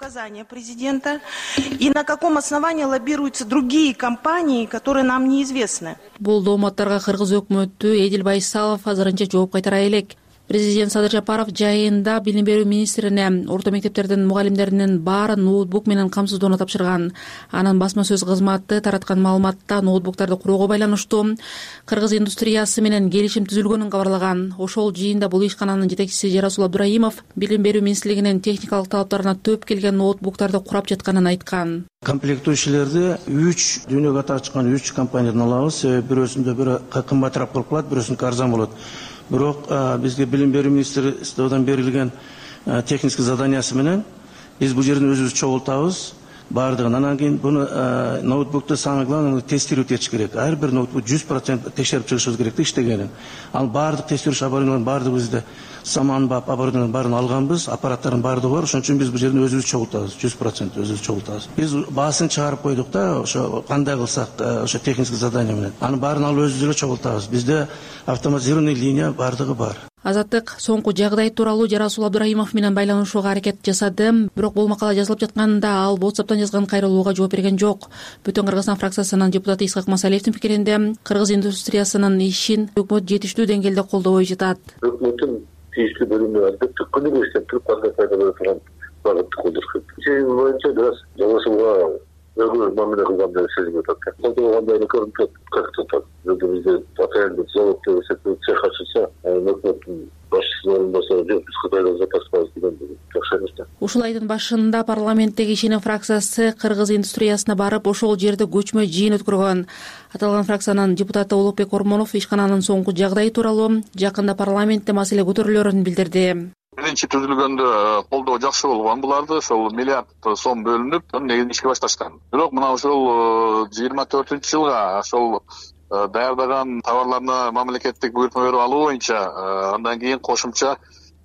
И на каком основании лоббируются другие компании, которые нам неизвестны? Бул дооматтарга кыргыз өкмөтү Эдил Байсалов азырынча жооп кайтара элек. Президент Садыр Жапаров жайында билим берүү министрине орто мектептердин мугалимдеринин баарын ноутбук менен камсыздоону тапшырган. Анын басма сөз кызматы тараткан маалыматта ноутбуктарды куроого байланыштуу кыргыз индустриясы менен келишим түзүлгөнүн кабарлаган. Ошол жыйында бул ишкананын жетекчиси Жарасул Абдурайымов билим берүү министрлигинин техникалык талаптарына төп келген ноутбуктарды курап жатканын айткан. Комплектующийлерди 3 дүйнөгө аты ачкан 3 компаниядан алабыз. Себеби бирөөсүндө бири кымбатыраак болуп калат, бирөөсүндө арзан болот. Бирок бизге билим берүү министрлигинен берилген технический заданиясы менен биз бул жерден өзүбүз чогултабыз баардыгын. Анан кийин буну ноутбукту самое главное тестировать этиш керек. Ар бир ноутбук 100% текшерип чыгышыбыз керек иштегенин. Ал баардык тестировщик оборудованиялардын баардыгы бизде саманбап оборудованиянын баарын алганбыз, аппараттардын баардыгы бар. Ошон үчүн биз бул жерден өзүбүз чогултабыз, 100% өзүбүз чогултабыз. Биз баасын чыгарып койдук да, ошо кандай кылсак, ошо технический задание менен. Анын баарын алып өзүбүз эле чогултабыз. Бизде автоматизированный линия баардыгы бар. Азаттык соңку жагдай тууралуу Жарасул Абдурайымов менен байланышууга аракет жасады. Бирок бул макала жазылып жатканда ал WhatsApp'тан жазган кайрылууга жооп берген жок. Бүтүн Кыргызстан фракциясынын депутаты Исхак Масалиевдин пикиринде кыргыз индустриясынын ишин өкмөт жетиштүү деңгээлде колдобой жатат. Өкмөттүн тийиштүү бөлүмү албетте күнүгө иштеп туруп кандай пайда боло турган багытты колдош керек. Сенин боюнча бираз Жарасулга өзгө мамиле кылгандай сезилип атат. Колдогондой эле көрүнүп атат. Как атат. Бизде атайын завод деп цех ачылса, өкмөттүн башчысынын орун басары жок, биз Кытайдан заказ кылабыз деген жакшы эмес да. Ушул айдын башында парламенттеги ишеним фракциясы кыргыз индустриясына барып, ошол жерде көчмө жыйын өткөргөн. Аталган фракциянын депутаты Улукбек Ормонов ишкананын соңку жагдайы тууралуу жакында парламентте маселе көтөрүлөрүн билдирди. Биринчи түзүлгөндө колдоо жакшы болгон буларды, ошол миллиард сом бөлүнүп, негизи ишке башташкан. Бирок мына ошол 24-жылга ошол даярдаган товарларына мамлекеттик буйртма берип алуу боюнча андан кийин кошумча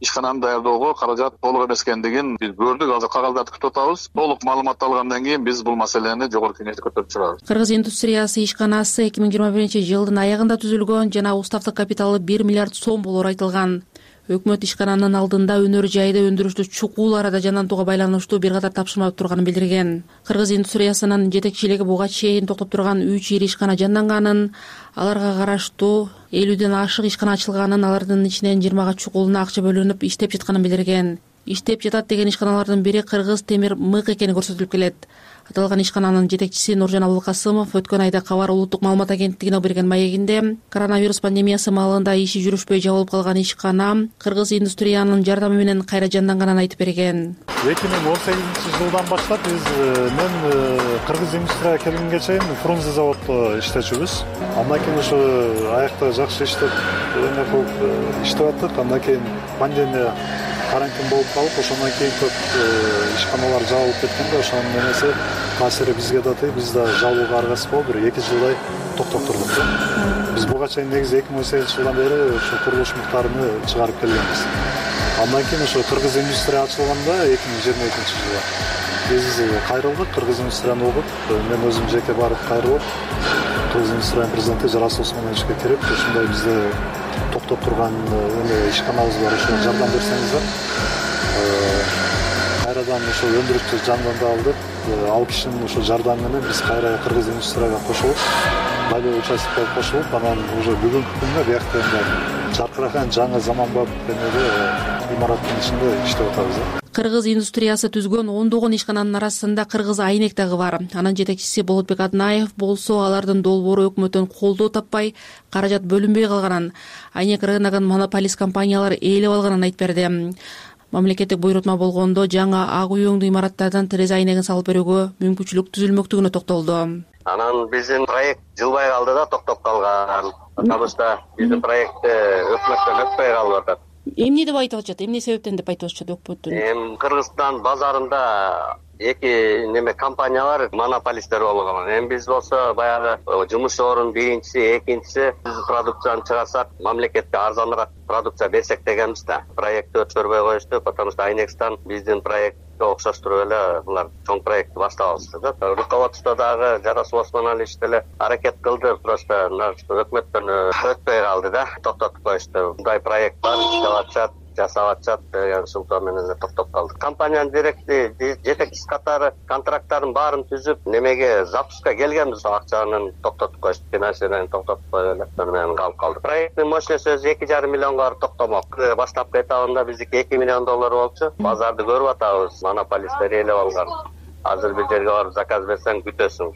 ишкананы даярдоого каражат толук эмес экендигин биз көрдүк. Азыр кагаздарды күтүп атабыз. Толук маалымат алгандан кийин биз бул маселени жогорку кеңеште көтөрүп чыгабыз. Кыргыз индустриясы ишканасы 2021-жылдын аягында түзүлгөн жана уставдык капиталы 1 миллиард сом болоору айтылган. Өкмөт ишкананын алдында өнөр жайда өндүрүштү чукул арада жандантууга байланыштуу бир катар тапшырма турганын билдирген. Кыргыз индустриясынын жетекчилиги буга чейин токтоп турган 3 ири ишкана жанданганын, аларга караштуу 50ден ашык ишкана ачылганын, алардын ичинен 20га чукулуна акча бөлүнүп иштеп жатканын билдирген. Иштеп жатат деген ишканалардын бири Кыргыз темир мык экени көрсөтүлүп келет. Аталган ишкананын жетекчиси Нуржан Абылкасымов өткөн айда Кабар улуттук маалымат агенттигине берген маегинде коронавирус пандемиясы маалында иши жүрүшпөй жабылып калган ишкана Кыргыз индустриянын жардамы менен кайра жанданганын айтып берген. 2018-жылдан баштап мен Кыргыз индустрияга келгенге чейин Фрунзе заводдо иштечүбүз. Андан кийин ошо аякта жакшы иштеп, эме кылып иштеп аттык. Андан кийин пандемия карантин болуп калып, ошондон кийин көп ишканалар жабылып кеткенде ошонун эмеси таасири бизге да тиги, биз да жабылууга аргасыз болуп 1-2 жылдай токтоп турдук. Биз буга чейин негизи 2018-жылдан бери ошо курулуш муктарыны чыгарып келгенбиз. Андан кийин ошо Кыргыз индустрия ачылганда 2022-жылы биз кайрылдык, Кыргыз индустрияны угуп, мен өзүм жеке барып кайрылып, Кыргыз индустриянын президенти Жарас Осмоновичке кирип, ушундай бизде токтоп турган ишканабыз бар, ошо жардам берсеңиздер. Кайрадан ошо өндүрүштү жандандырдык. Ал кишинин ошо жардамы менен биз кайра Кыргыз индустрияга кошулуп, байлоо участок болуп кошулуп, анан уже бүгүнкү күндө биякта жаркыраган жаңы заманбап имараттын ичинде иштеп атабыз. Кыргыз индустриясы түзгөн ондогон ишкананын арасында Кыргыз Айнек дагы бар. Анын жетекчиси Болотбек Аднаев болсо алардын долбоору өкмөттөн колдоо таппай, каражат бөлүнбөй калганын, Айнек рыногун монополист компаниялар ээлеп алганын айтып берди. Мамлекеттик буйрутма болгондо жаңы ак үйөңдүү имараттардан терезе айнегин салып берүүгө мүмкүнчүлүк түзүлмөктүгүнө токтолду. Анан биздин проект жылбай калды да, токтоп калган. Потому что биздин проект өкмөттөн өтпөй калып атат. Эмне деп айтып атышат? Эмне себептен деп айтып атышат өкмөттөн? Кыргызстан базарында эки компаниялар монополисттер болгон. Эми биз болсо баягы жумуш орун биринчиси, экинчиси продукцияны чыгарсак, мамлекетке арзаныраак продукция берсек дегенбиз да. Проектти өткөрбөй коюшту, потому что Айнекстан биздин проектке окшоштуруп эле булар чоң проектти баштап алышты да. Руководство дагы Жарас Осмонович деле аракет кылды, просто өкмөттөн өтпөй калды да, токтотуп коюшту. Мындай проект бар, иштеп атышат, жасап атышат деген сылтоо менен токтоп калды. Компаниянын жетекчиси катары контракттардын баарын түзүп, немеге запуска келгенбиз, акчанын токтотуп коюшту, финансирование токтотуп коюп эле менен калып калдык. Проекттин мощностью 2,5 миллионго барып токтомок. Баштапкы этабында биздики $2 миллион болчу. Базарды көрүп атабыз, монополисттер ээлеп алган. Азыр бир жерге барып заказ берсең күтөсүң.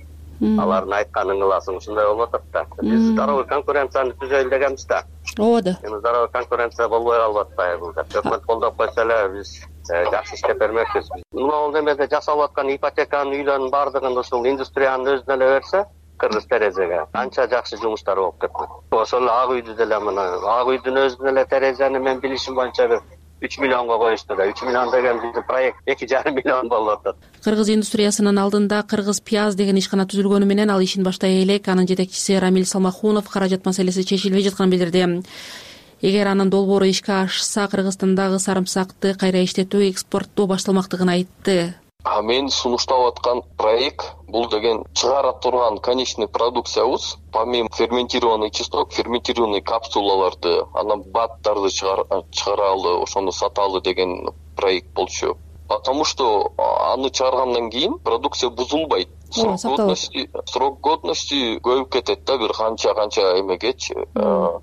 Алардын айтканын кыласың, ушундай болуп атат да. Биз здоровый конкуренцияны түзөлү дегенбиз да. Ооба. Эми здоровый конкуренция болбой калып атпайбы? Өкмөт колдоп койсо эле биз жакшы иштеп бермекпиз. Мына бул эмеде жасалып аткан ипотеканын үйлөрдүн баардыгын ушул индустриянын өзүнө эле берсе, Кыргыз терезеге канча жакшы жумуштар болуп кетти. Ошол ак үйдү деле мына ак үйдүн өзүнө эле терезени мен билишим боюнча 3 миллионго коюшту да. 3 миллион деген биздин проект 2,5 миллион болуп атат. Кыргыз индустриясынын алдында Кыргыз Пияз деген ишкана түзүлгөнү менен ал ишин баштай элек. Анын жетекчиси Рамиль Салмахунов каражат маселеси чечилбей жатканын билдирди. Эгер анын долбоору ишке ашса, Кыргызстандагы сарымсакты кайра иштетүү, экспорттоо башталмактыгын айтты. Мен сунуштап аткан проект бул деген чыгара турган конечный продукциябыз, помимо ферментированный кислот, ферментированный капсулаларды, анан баттарды чыгаралы, ошону саталы деген проект болчу. Потому что аны чыгаргандан кийин продукция бузулбайт. Срок годности көбүп кетет да, бир канча эмегечи.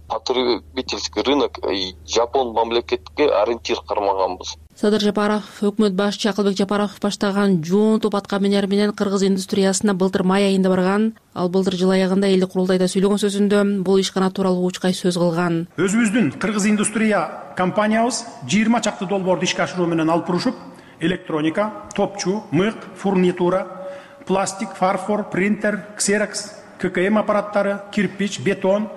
Потребительский рынок Жапон мамлекетке ориентир кармаганбыз. Садыр Жапаров, өкмөт башчы Акылбек Жапаров баштаган жоон топ атка минер менен Кыргыз индустриясына былтыр май айында барган. Ал былтыр жыл аягында элдик курултайда сүйлөгөн сөзүндө бул ишкана тууралуу учкай сөз кылган. Өзүбүздүн Кыргыз индустрия компаниябыз 20 чакты долбоорду ишке ашыруу менен алып бурушуп, электроника, топчу, мык, фурнитура, пластик, фарфор, принтер, ксерокс, ККМ аппараттары, кирпич, бетон,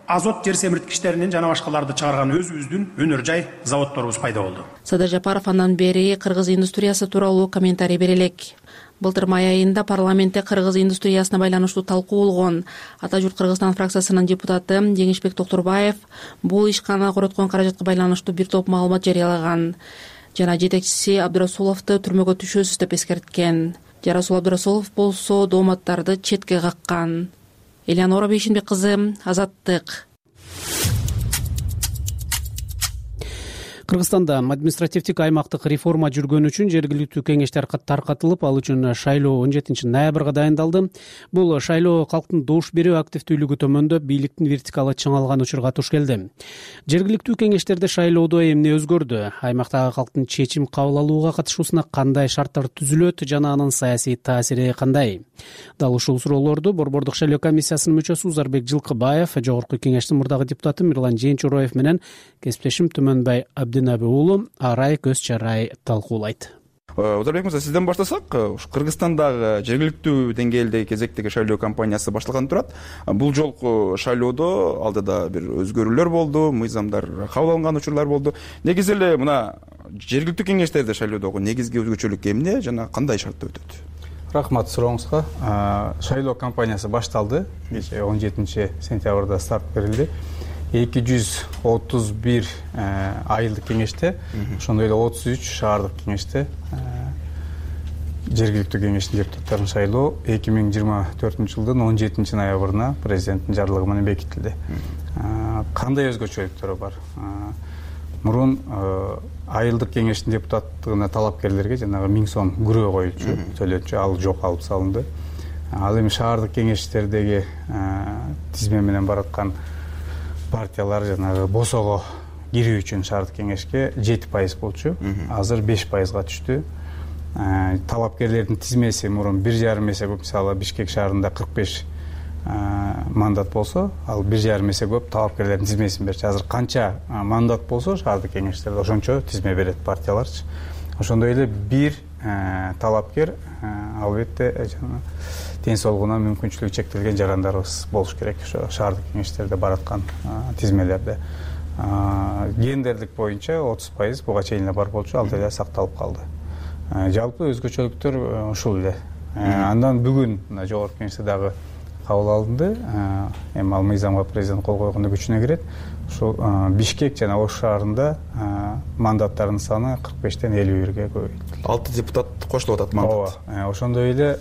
азот жер семирткичтеринин жана башкаларды чыгарган өзүбүздүн өнөр жай заводдорубуз пайда болду. Садыр Жапаров андан бери кыргыз индустриясы тууралуу комментарий бере элек. Былтыр май айында парламентте кыргыз индустриясына байланыштуу талкуу болгон. Ата журт Кыргызстан фракциясынын депутаты Жеңишбек Токторбаев бул ишкана короткон каражатка байланыштуу бир топ маалымат жарыялаган жана жетекчиси Абдырасуловду түрмөгө түшөсүз деп эскерткен. Жарасул Абдырасулов болсо дооматтарды четке каккан. Элеонора Бейшинбек кызы, Азаттык. Кыргызстанда административдик аймактык реформа жүргөн үчүн жергиликтүү кеңештер таркатылып, ал үчүн шайлоо 17 ноябрга дайындалды. Бул шайлоо калктын добуш берүү активдүүлүгү төмөндөп, бийликтин вертикалы чыңалган учурга туш келди. Жергиликтүү кеңештерде шайлоодо эмне өзгөрдү? Аймактагы калктын чечим кабыл алууга катышуусуна кандай шарттар түзүлөт жана анын саясий таасири кандай? Дал ушул суроолорду Борбордук шайлоо комиссиясынын мүчөсү Узарбек Жылкыбаев, Жогорку кеңештин мурдагы депутаты Мирлан Жээнчуроев менен кесиптешим Түмөнбай Абдынаби уулу Арай Көз Чарай талкуулайт. Узарбек мырза, сизден баштасак, Кыргызстандагы жергиликтүү деңгээлдеги кезектеги шайлоо кампаниясы башталган турат. Бул жолку шайлоодо алдыда бир өзгөрүүлөр болду, мыйзамдар кабыл алынган учурлар болду. Негизи эле мына жергиликтүү кеңештерде шайлоодогу негизги өзгөчөлүк эмне жана кандай шартта өтөт? Рахмат сурооңузга. Шайлоо кампаниясы башталды. Кечээ 17 сентябрда старт берилди. 231 айылдык кеңеште, ошондой эле 33 шаардык кеңеште жергиликтүү кеңештин депутаттарын шайлоо 2024 жылдын 17 ноябрына президенттин жарлыгы менен бекитилди. Кандай өзгөчөлүктөрү бар? Мурун айылдык кеңештин депутаттыгына талапкерлерге жанагы 1000 сом күрөө коюлчу, төлөчү, ал жок, алып салынды. Ал эми шаардык кеңештердеги тизме менен бараткан партиялар жанагы босого кирүү үчүн шаардык кеңешке 7% болчу, азыр 5%га түштү. Талапкерлердин тизмеси мурун 1,5 эсе көп, мисалы Бишкек шаарында 45 мандат болсо, ал 1,5 эсе көп талапкерлердин тизмесин берчү. Азыр канча мандат болсо шаардык кеңештерде ошончо тизме берет партияларчы. Ошондой эле бир талапкер албетте ден соолугуна мүмкүнчүлүгү чектелген жарандарыбыз болуш керек ошо шаардык кеңештерде бараткан тизмелерде. Гендерлик боюнча 30% буга чейин эле бар болчу, ал деле сакталып калды. Жалпы өзгөчөлүктөр ушул эле. Андан бүгүн жогорку кеңеште дагы кабыл алынды. Эми ал мыйзамга президент кол койгондо күчүнө кирет. Ушул Бишкек жана Ош шаарында мандаттардын саны 45-тен 51-ге көбөйтүлдү. 6 депутат кошулуп атат мандат. Ошондой эле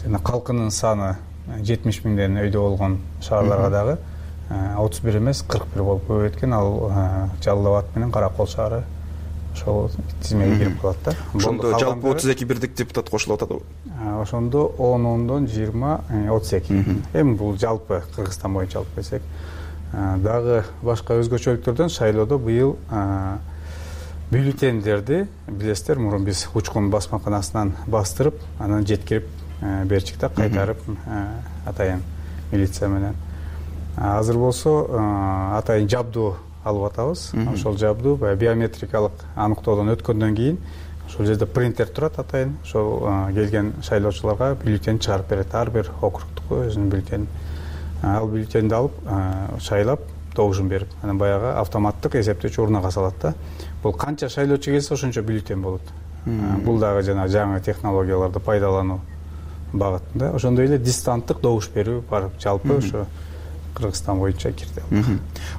калкынын саны 70 миңден өйдө болгон шаарларга дагы 31 эмес 41 болуп көбөйткөн. Ал Жалал Абад менен Каракол шаары ошол тизмеге кирип калат да. Ошондо жалпы 32 бирдик депутат кошулуп атат. Ошондо 10-10дон 20 32. Эми бул жалпы Кыргызстан боюнча алып келсек, дагы башка өзгөчөлүктөрдөн шайлоодо быйыл бюллетендерди билесиздер, мурун биз учкун басмаканасынан бастырып, анан жеткирип берчик да, кайтарып атайын милиция менен. Азыр болсо атайын жабдуу алып атабыз. Ошол жабдуу биометрикалык аныктоодон өткөндөн кийин ошол жерде принтер турат атайын. Ошол келген шайлоочуларга бюллетень чыгарып берет. Ар бир округдук өзүнүн бюллетени. Ал бюллетенди алып шайлап добушун берип, анан баягы автоматтык эсептөөчү урнага салат да. Бул канча шайлоочу келсе ошончо бюллетень болот. Бул дагы жана жаңы технологияларды пайдалануу багытында. Ошондой эле дистанттык добуш берүү бар. Жалпы ошо Кыргызстан боюнча кирди.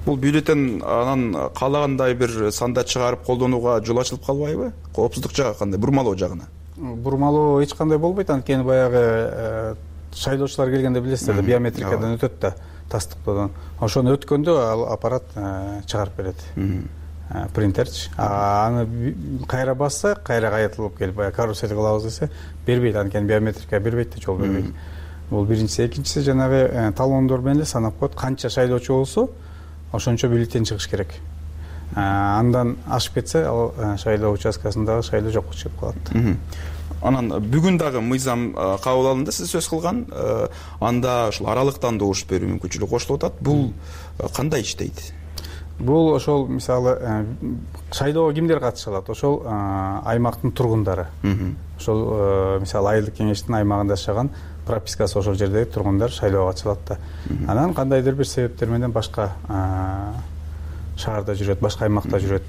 Бул бюллетень анан каалагандай бир санда чыгарып колдонууга жол ачылып калбайбы? Коопсуздук жагы кандай? Бурмалоо жагына? Бурмалоо эч кандай болбойт, анткени баягы шайлоочулар келгенде билесиздер да, биометрикадан өтөт да, тастыктоодон. Ошону өткөндө ал аппарат чыгарып берет. Принтерчи. Аны кайра басса, кайра кайтылып келип, баягы карусель кылабыз десе, бербейт, анткени биометрика бербейт да, жол бербейт. Бул биринчиси. Экинчиси жанагы талондор менен эле санап коет. Канча шайлоочу болсо, ошончо бюллетень чыгыш керек. Андан ашып кетсе, ал шайлоо участкасындагы шайлоо жокко чыгып калат. Анан бүгүн дагы мыйзам кабыл алынды, сиз сөз кылган. Анда ушул аралыктан добуш берүү мүмкүнчүлүгү кошулуп атат. Бул кандай иштейт? Бул ошол мисалы шайлоого кимдер катыша алат? Ошол аймактын тургундары. Ошол мисалы айылдык кеңештин аймагында жашаган пропискасы ошол жердеги тургундар шайлоого катыша алат да. Анан кандайдыр бир себептер менен башка шаарда жүрөт, башка аймакта жүрөт.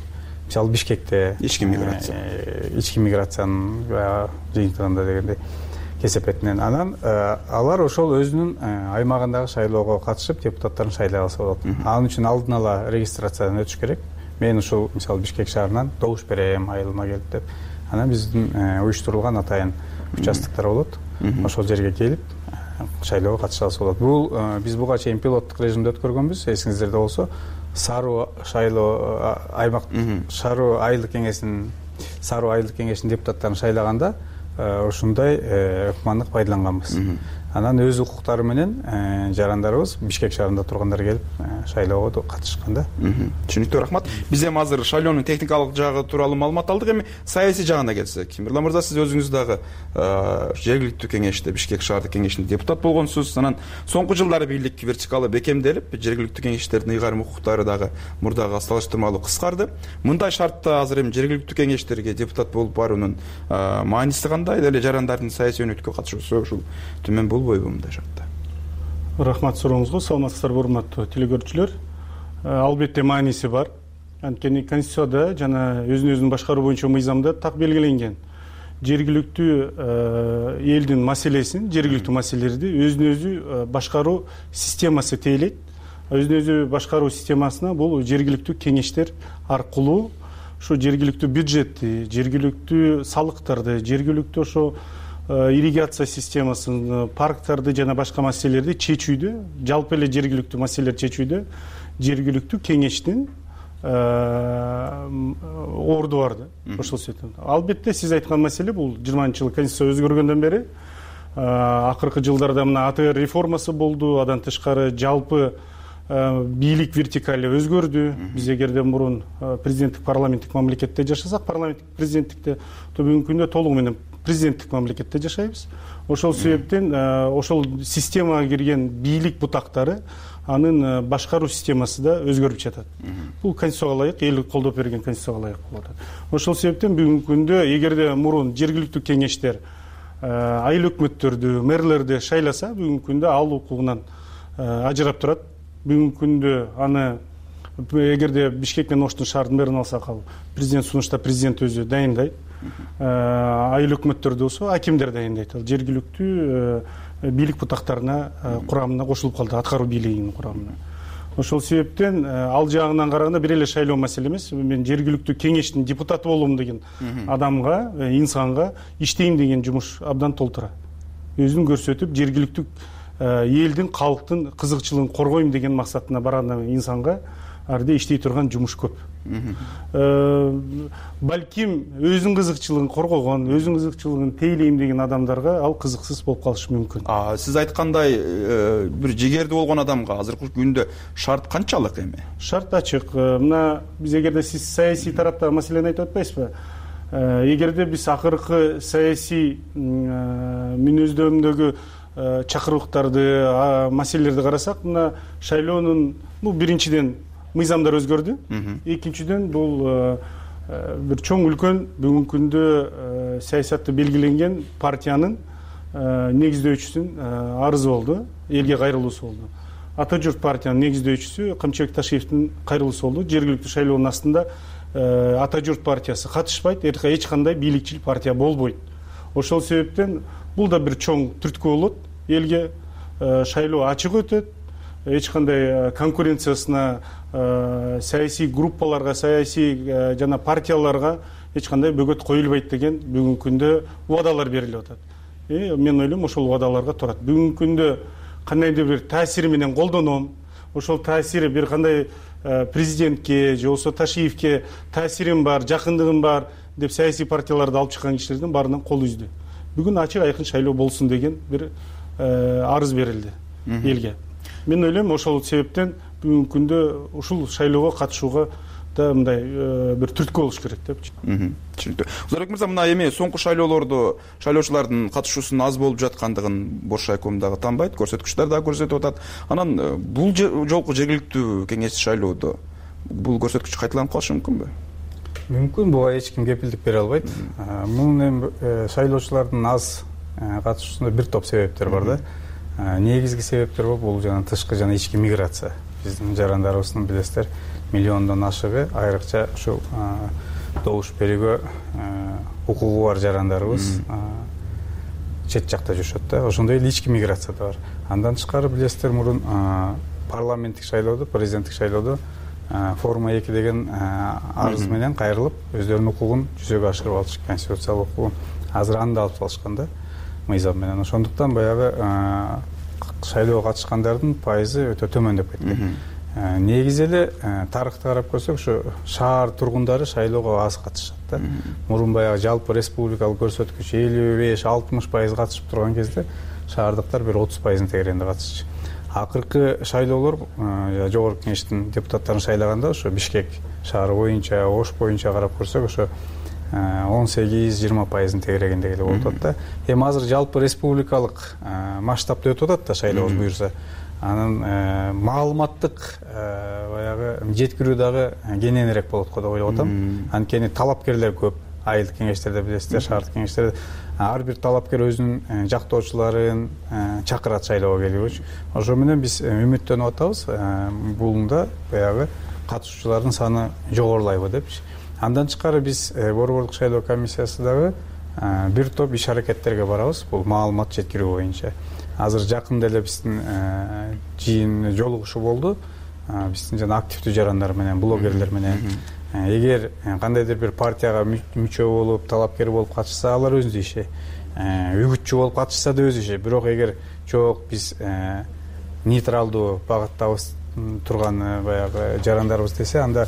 Мисалы Бишкекте ички миграциянын жыйынтыгында дегендей кесепетинен. Анан алар ошол өзүнүн аймагындагы шайлоого катышып депутаттарын шайлай алса болот. Анын үчүн алдын ала регистрациядан өтүш керек. Мен ушул мисалы Бишкек шаарынан добуш берем, айылыма келип деп. Анан биздин уюштурулган атайын участоктор болот. Ошол жерге келип шайлоого катыша алса болот. Бул биз буга чейин пилоттук режимде өткөргөнбүз. Эсиңиздерде болсо, Саруу шайлоо аймак Саруу айылдык кеңешинин депутаттарын шайлаганда ушундай ыкмандык пайдаланганбыз. Анан өз укуктары менен жарандарыбыз Бишкек шаарында тургандар келип шайлоого катышканда. Түшүнүктүү, рахмат. Биз эми азыр шайлоонун техникалык жагы тууралуу маалымат алдык. Эми саясий жагына келсек, Мирлан мырза, сиз өзүңүз дагы жергиликтүү кеңеште, Бишкек шаардык кеңешинде депутат болгонсуз. Анан соңку жылдары бийлик вертикалы бекемделип, жергиликтүү кеңештердин ыйгарым укуктары дагы мурдага салыштырмалуу кыскарды. Мындай шартта азыр эми жергиликтүү кеңештерге депутат болуп баруунун мааниси кандай? Эле жарандардын саясий өнөкөткө катышуусу ушул төмөн болбойбу мындай шартта? Рахмат сурооңузга. Саламатсыздарбы, урматтуу телекөрүүчүлөр. Албетте мааниси бар. Анткени Конституцияда жана өзүн башкаруу боюнча мыйзамда так белгиленген. Жергиликтүү элдин маселесин, жергиликтүү маселелерди өзүнө өзү башкаруу системасы тейлейт. Өзүнө өзү башкаруу системасына бул жергиликтүү кеңештер аркылуу ушу жергиликтүү бюджетти, жергиликтүү салыктарды, жергиликтүү ошо ирригация системасын, парктарды жана башка маселелерди чечүүдө, жалпы эле жергиликтүү маселелерди чечүүдө жергиликтүү кеңештин орду бар да. Ошол себептен. Албетте сиз айткан маселе бул 20-жылы Конституция өзгөргөндөн бери акыркы жылдарда мына АТР реформасы болду, андан тышкары жалпы бийлик вертикали өзгөрдү. Биз эгерде мурун президенттик парламенттик мамлекетте жашасак, парламенттик президенттикте, то бүгүнкү күндө толугу менен президенттик мамлекетте жашайбыз. Ошол себептен ошол системага кирген бийлик бутактары анын башкаруу системасы да өзгөрүп жатат. Бул Конституцияга ылайык, эл колдоп берген Конституцияга ылайык болуп атат. Ошол себептен бүгүнкү күндө эгерде мурун жергиликтүү кеңештер айыл өкмөттөрдү, мэрлерди шайласа, бүгүнкү күндө ал укугунан ажырап турат. Бүгүнкү күндө аны эгерде Бишкек менен Оштун шаарынын мэрин алсак, ал президент сунушта президент өзү дайындайт. Айыл өкмөттөрдө болсо акимдер дайындайт. Ал жергиликтүү бийлик бутактарына курамына кошулуп калды, аткаруу бийлигинин курамына. Ошол себептен ал жагынан караганда бир эле шайлоо маселе эмес. Мен жергиликтүү кеңештин депутаты болом деген адамга, инсанга иштейм деген жумуш абдан толтура. Өзүн көрсөтүп, жергиликтүү элдин, калктын кызыкчылыгын коргойм деген максатына барган инсанга арда иштей турган жумуш көп. Балким өзүнүн кызыкчылыгын коргогон, өзүнүн кызыкчылыгын тейлейм деген адамдарга ал кызыксыз болуп калышы мүмкүн. Сиз айткандай бир жигерди болгон адамга азыркы күндө шарт канчалык эми? Шарт ачык. Мына биз эгерде сиз саясий тараптагы маселени айтып атпайсызбы? Эгерде биз акыркы саясий мүнөздөмдөгү чакырыктарды, маселелерди карасак, мына шайлоонун биринчиден мыйзамдар өзгөрдү. Экинчиден бул бир чоң үлкөн бүгүнкү күндө саясатты белгиленген партиянын негиздөөчүсүнүн арызы болду, элге кайрылуусу болду. Ата журт партиянын негиздөөчүсү Камчыбек Ташиевдин кайрылуусу болду. Жергиликтүү шайлоонун астында Ата журт партиясы катышпайт, эч кандай бийликчил партия болбойт. Ошол себептен бул да бир чоң түрткү болот. Элге шайлоо ачык өтөт. Эч кандай конкуренциясына, саясий группаларга, саясий жана партияларга эч кандай бөгөт коюлбайт деген бүгүнкү күндө убадалар берилип атат. Мен ойлойм, ошол убадаларга турат. Бүгүнкү күндө кандайдыр бир таасири менен колдоном, ошол таасири бир кандай президентке же болбосо Ташиевке таасирим бар, жакындыгым бар деп саясий партияларды алып чыккан кишилердин баарынан кол үздү. Бүгүн ачык айкын шайлоо болсун деген бир арыз берилди элге. Мен ойлойм, ошол себептен бүгүнкү күндө ушул шайлоого катышууга да мындай бир түрткү болуш керек деп. Түшүнүктүү. Узарбек мырза, мына эми соңку шайлоолордо шайлоочулардын катышуусунун аз болуп жаткандыгын Бош райком дагы танбайт, көрсөткүчтөр дагы көрсөтүп атат. Анан бул жолку жергиликтүү кеңеш шайлоодо бул көрсөткүч кайталанып калышы мүмкүнбү? Мүмкүн, буга эч ким кепилдик бере албайт. Мунун эми шайлоочулардын аз катышуусунда бир топ себептер бар да. Негизги себептер бул жана тышкы жана ички миграция. Биздин жарандарыбыздын билесиздер миллиондон ашыгы айрыкча ушул добуш берүүгө укугу бар жарандарыбыз чет жакта жүрүшөт да. Ошондой эле ички миграция да бар. Андан тышкары билесиздер мурун парламенттик шайлоодо, президенттик шайлоодо форма 2 деген арыз менен кайрылып өздөрүнүн укугун жүзөгө ашырып алышты, конституциялык укугун. Азыр аны да алып салышкан да мыйзам менен. Ошондуктан баягы шайлоого катышкандардын пайызы өтө төмөндөп кеткен. Негизи эле тарыхты карап көрсөк, ушу шаар тургундары шайлоого аз катышат да. Мурун баягы жалпы республикалык көрсөткүч 55-60% катышып турган кезде шаардыктар бир 30% тегерегинде катышчу. Акыркы шайлоолор жогорку кеңештин депутаттарын шайлаганда ошо Бишкек шаары боюнча, Ош боюнча карап көрсөк, ошо 18-20% тегерегинде эле болуп атат да. Эми азыр жалпы республикалык масштабта өтүп атат да шайлообуз буюрса. Анын маалыматтык баягы жеткирүү дагы кененирээк болот го деп ойлоп атам. Анткени талапкерлер көп. Айылдык кеңештерде билесиздер, шаардык кеңештерде ар бир талапкер өзүнүн жактоочуларын чакырат шайлоого келүүгө. Ошо менен биз үмүттөнүп атабыз. Булунда баягы катышуучулардын саны жогорулайбы депчи. Андан тышкары биз борбордук шайлоо комиссиясы дагы бир топ иш аракеттерге барабыз. Бул маалымат жеткирүү боюнча. Азыр жакында эле биздин жыйын жолугушуу болду. Биздин жана активдүү жарандар менен, блогерлер менен. Эгер кандайдыр бир партияга мүчө болуп, талапкер болуп катышса, алар өзүнүн иши. Үгүтчү болуп катышса да өз иши. Бирок эгер жок биз нейтралдуу багыттабыз турган баягы жарандарыбыз десе, анда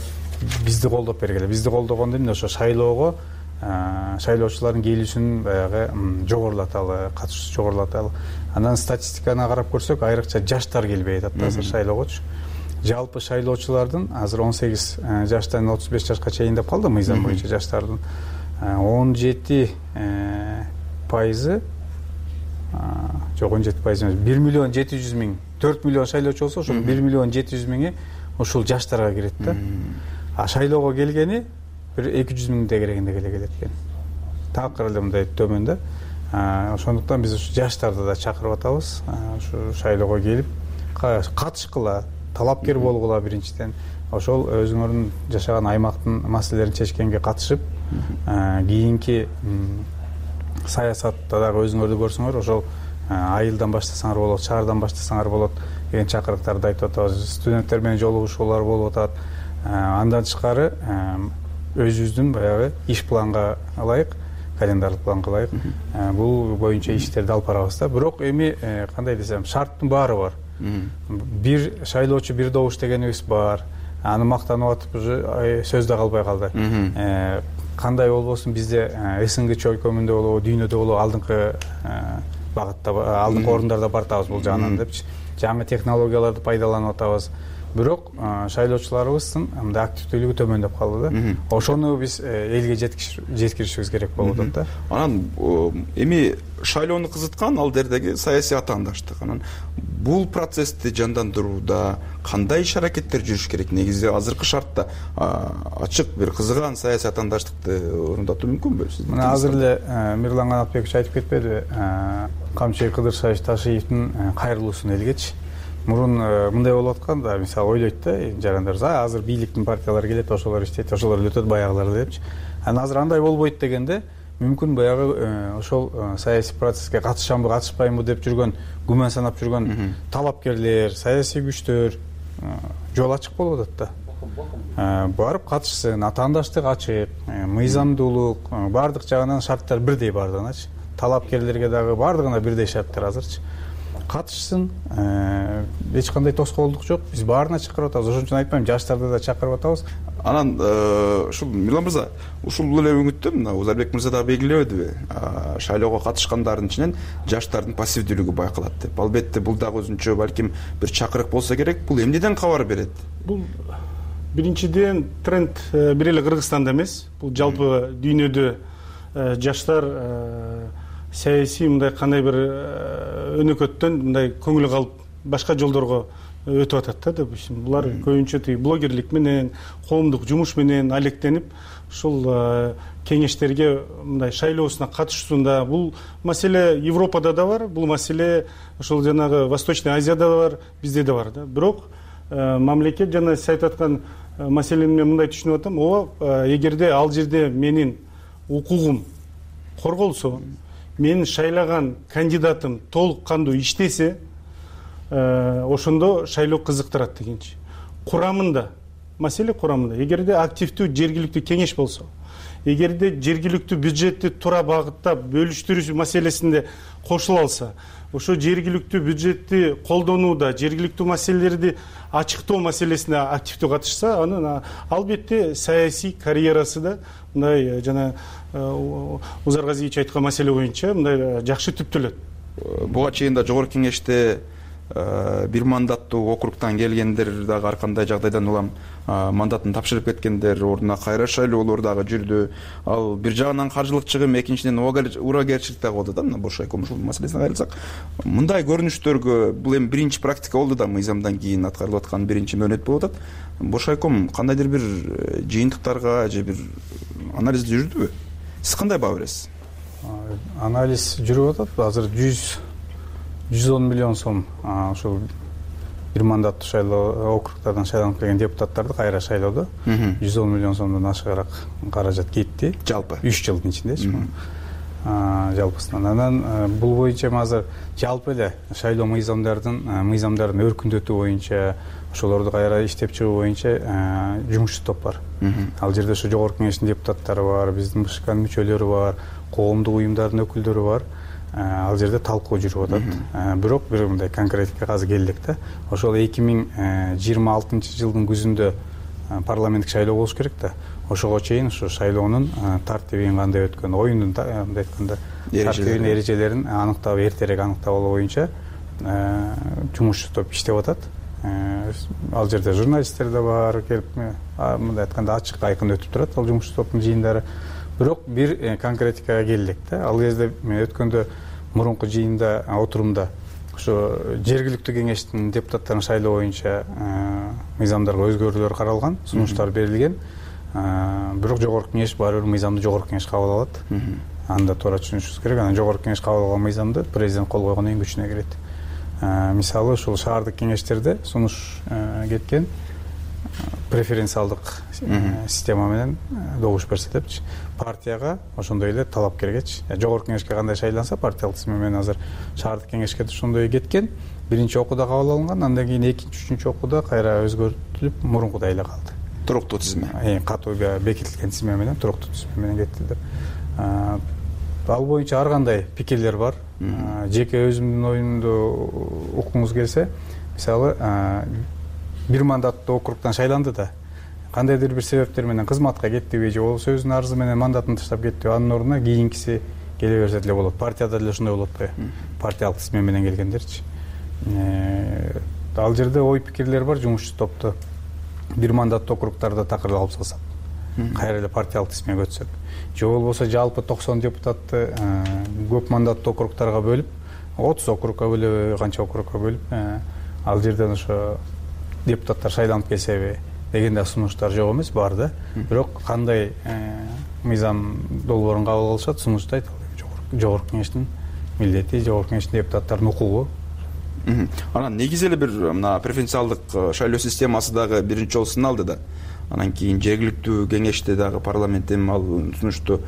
бизди колдоп бергиле. Бизди колдогондо эмне ошо шайлоого шайлоочулардын келүүсүн баягы жогорулаталы, катышуусун жогорулаталы. Анан статистиканы карап көрсөк, айрыкча жаштар келбей атат азыр шайлоогочу. Жалпы шайлоочулардын азыр 18 жаштан 35 жашка чейин деп калды мыйзам боюнча жаштардын 17% жок 17% эмес, 1.700.000, 4 миллион шайлоочу болсо, ошол 1.700.000 ушул жаштарга кирет да. А шайлоого келгени бир 200.000 тегерегинде келет экен. Такыр эле мындай төмөн да. Ошондуктан биз ушу жаштарды да чакырып атабыз. Ушу шайлоого келип катышкыла, талапкер болгула биринчиден. Ошол өзүңөрдүн жашаган аймактын маселелерин чечкенге катышып, кийинки саясатта дагы өзүңөрдү көрсөңөр, ошол айылдан баштасаңар болот, шаардан баштасаңар болот деген чакырыктарды айтып атабыз. Студенттер менен жолугушуулар болуп атат. Андан тышкары өзүбүздүн баягы иш планга ылайык, календарлык планга ылайык бул боюнча иштерди алып барабыз да. Бирок эми кандай десем, шарттын баары бар. Бир шайлоочу бир добуш дегенибиз бар. Аны мактанып атып уже сөз да калбай калды. Кандай болбосун бизде СНГ чөйкөмүндө болобу, дүйнөдө болобу алдыңкы багытта, алдыңкы орундарда бартабыз бул жагынан депчи. Жаңы технологияларды пайдаланып атабыз. Бирок шайлоочуларыбыздын мындай активдүүлүгү төмөндөп калды да. Ошону биз элге жеткиришибиз керек болуп атат да. Анан эми шайлоону кызыткан ал жердеги саясий атаандаштык. Анан бул процессти жандандырууда кандай иш аракеттер жүрүш керек? Негизи азыркы шартта ачык бир кызыган саясий атаандаштыкты орундатуу мүмкүнбү? Мына азыр эле Мирлан Канатбекович айтып кетпедиби? Камчы Кыдыршаевич Ташиевдин кайрылуусун элгечи. Мурун мындай болуп аткан да, мисалы ойлойт да жарандар, азыр бийликтин партиялары келет, ошолор иштейт, ошолор эле өтөт баягылар депчи. Анан азыр андай болбойт дегенде, мүмкүн баягы ошол саясий процесске катышамбы, катышпаймбы деп жүргөн, күмөн санап жүргөн талапкерлер, саясий күчтөр жол ачык болуп атат да. Барып катышсын, атаандаштык ачык, мыйзамдуулук, бардык жагынан шарттар бирдей бардыгыначы. Талапкерлерге дагы бардыгына бирдей шарттар азырчы. Катышсын, эч кандай тоскоолдук жок. Биз баарына чакырып атабыз. Ошон үчүн айтпайм, жаштарды да чакырып атабыз. Анан ушул Мирлан мырза, ушул эле үмүттө мына Узарбек мырза дагы белгилебедиби? Шайлоого катышкандардын ичинен жаштардын пассивдүүлүгү байкалат деп. Албетте бул дагы өзүнчө балким бир чакырык болсо керек. Бул эмнеден кабар берет? Бул биринчиден тренд бир эле Кыргызстанда эмес. Бул жалпы дүйнөдө жаштар саясий мындай кандай бир өнөкөттөн мындай көңүлү калып башка жолдорго өтүп атат да деп булар көбүнчө тиги блогерлик менен коомдук жумуш менен алектенип ушул кеңештерге мындай шайлоосуна катышуусунда бул маселе Европада да бар, бул маселе ошол жанагы Восточный Азияда да бар, бизде да бар да. Бирок мамлекет жана сиз айтып аткан маселени мен мындай түшүнүп атам. Ооба, эгерде ал жерде менин укугум корголсо, менин шайлаган кандидатым толук кандуу иштесе, ошондо шайлоо кызыктырат дегенчи. Курамында, маселе курамында. Эгерде активдүү жергиликтүү кеңеш болсо, эгерде жергиликтүү бюджетти туура багыттап бөлүштүрүү маселесинде кошула алса, ошо жергиликтүү бюджетти колдонууда, жергиликтүү маселелерди ачыктоо маселесине активдүү катышса, анын албетте саясий карьерасы да мындай жана Узар Газиевич айткан маселе боюнча мындай жакшы түптөлөт. Буга чейин да жогорку кеңеште бир мандаттуу округтан келгендер дагы ар кандай жагдайдан улам мандатын тапшырып кеткендер, ордуна кайра шайлоолор дагы жүрдү. Ал бир жагынан каржылык чыгым, экинчиден урагерчилик дагы болду да, мына Бошайком ушул маселесине кайрылсак. Мындай көрүнүштөргө бул эми биринчи практика болду да, мыйзамдан кийин аткарылып аткан биринчи мөөнөт болуп атат. Бошайком кандайдыр бир жыйынтыктарга же бир анализ жүрдүбү? Сиз кандай баа бересиз? Анализ жүрүп атат. Азыр 110 миллион сом ошол бир мандаттуу шайлоо округдардан шайланып келген депутаттарды кайра шайлоодо 110 миллион сомдон ашыгыраак каражат кетти. Жалпы 3 жылдын ичиндечи. Жалпысынан. Анан бул боюнча азыр жалпы эле шайлоо мыйзамдарын өркүндөтүү боюнча, ошолорду кайра иштеп чыгуу боюнча жумушчу топ бар. Ал жерде ошо жогорку кеңештин депутаттары бар, биздин БШКнын мүчөлөрү бар, коомдук уюмдардын өкүлдөрү бар. Ал жерде талкуу жүрүп атат. Бирок бир мындай конкретикке азыр келдик да. Ошол 2026 жылдын күзүндө парламенттик шайлоо болуш керек да. Ошого чейин ушу шайлоонун тартибин кандай өткөн, оюндун мындай айтканда тартибин, эрежелерин аныктап, эртерээк аныктап алуу боюнча жумушчу топ иштеп атат. Ал жерде журналисттер да бар, келип мындай айтканда ачык айкын өтүп турат ал жумушчу топтун жыйындары. Бирок бир конкретикага келдик да. Ал кезде мен өткөндө мурунку жыйында, отурумда ошо жергиликтүү кеңештин депутаттарын шайлоо боюнча мыйзамдарга өзгөрүүлөр каралган, сунуштар берилген. Бирок жогорку кеңеш баары бир мыйзамды жогорку кеңеш кабыл алат. Анда туура түшүнүшүбүз керек. Анан жогорку кеңеш кабыл алган мыйзамды президент кол койгондон кийин күчүнө кирет. Мисалы ушул шаардык кеңештерде сунуш кеткен преференциалдык система менен добуш берсе депчи. Партияга ошондой эле талапкергечи. Жогорку кеңешке кандай шайланса, партиялык тизме менен азыр шаардык кеңешке ошондой кеткен. Биринчи окууда кабыл алынган, андан кийин экинчи, үчүнчү окууда кайра өзгөртүлүп, мурункудай эле калды. Туруктуу тизме. Катуу бекитилген тизме менен, туруктуу тизме менен кетти. Ал боюнча ар кандай пикирлер бар. Жеке өзүмдүн оюмду уккуңуз келсе, мисалы, бир мандаттуу округтан шайланды да, кандайдыр бир себептер менен кызматка кеттиби же болбосо өзүнүн арызы менен мандатын таштап кеттиби, анын ордуна кийинкиси келе берсе деле болот. Партияда деле ошондой болот атпайбы? Партиялык тизме менен келгендерчи. Ал жерде ой пикирлер бар, жумушчу топту бир мандаттуу округтарда такыр алып салсак, кайра эле партиялык тизмеге өтсөк, же болбосо жалпы 90 депутатты көп мандаттуу округтарга бөлүп, 30 округка бөлүп, канча округка бөлүп, ал жерден ошо депутаттар шайланып келсеби деген да сунуштар жок эмес, бар да. Бирок кандай мыйзам долбоорун кабыл алышат, сунушту айта албайм. Жогорку кеңештин милдети, жогорку кеңештин депутаттарынын укугу. Анан негизи эле бир мына преференциалдык шайлоо системасы дагы биринчи жолу сыналды да. Анан кийин жергиликтүү кеңеште дагы парламент эми ал сунушту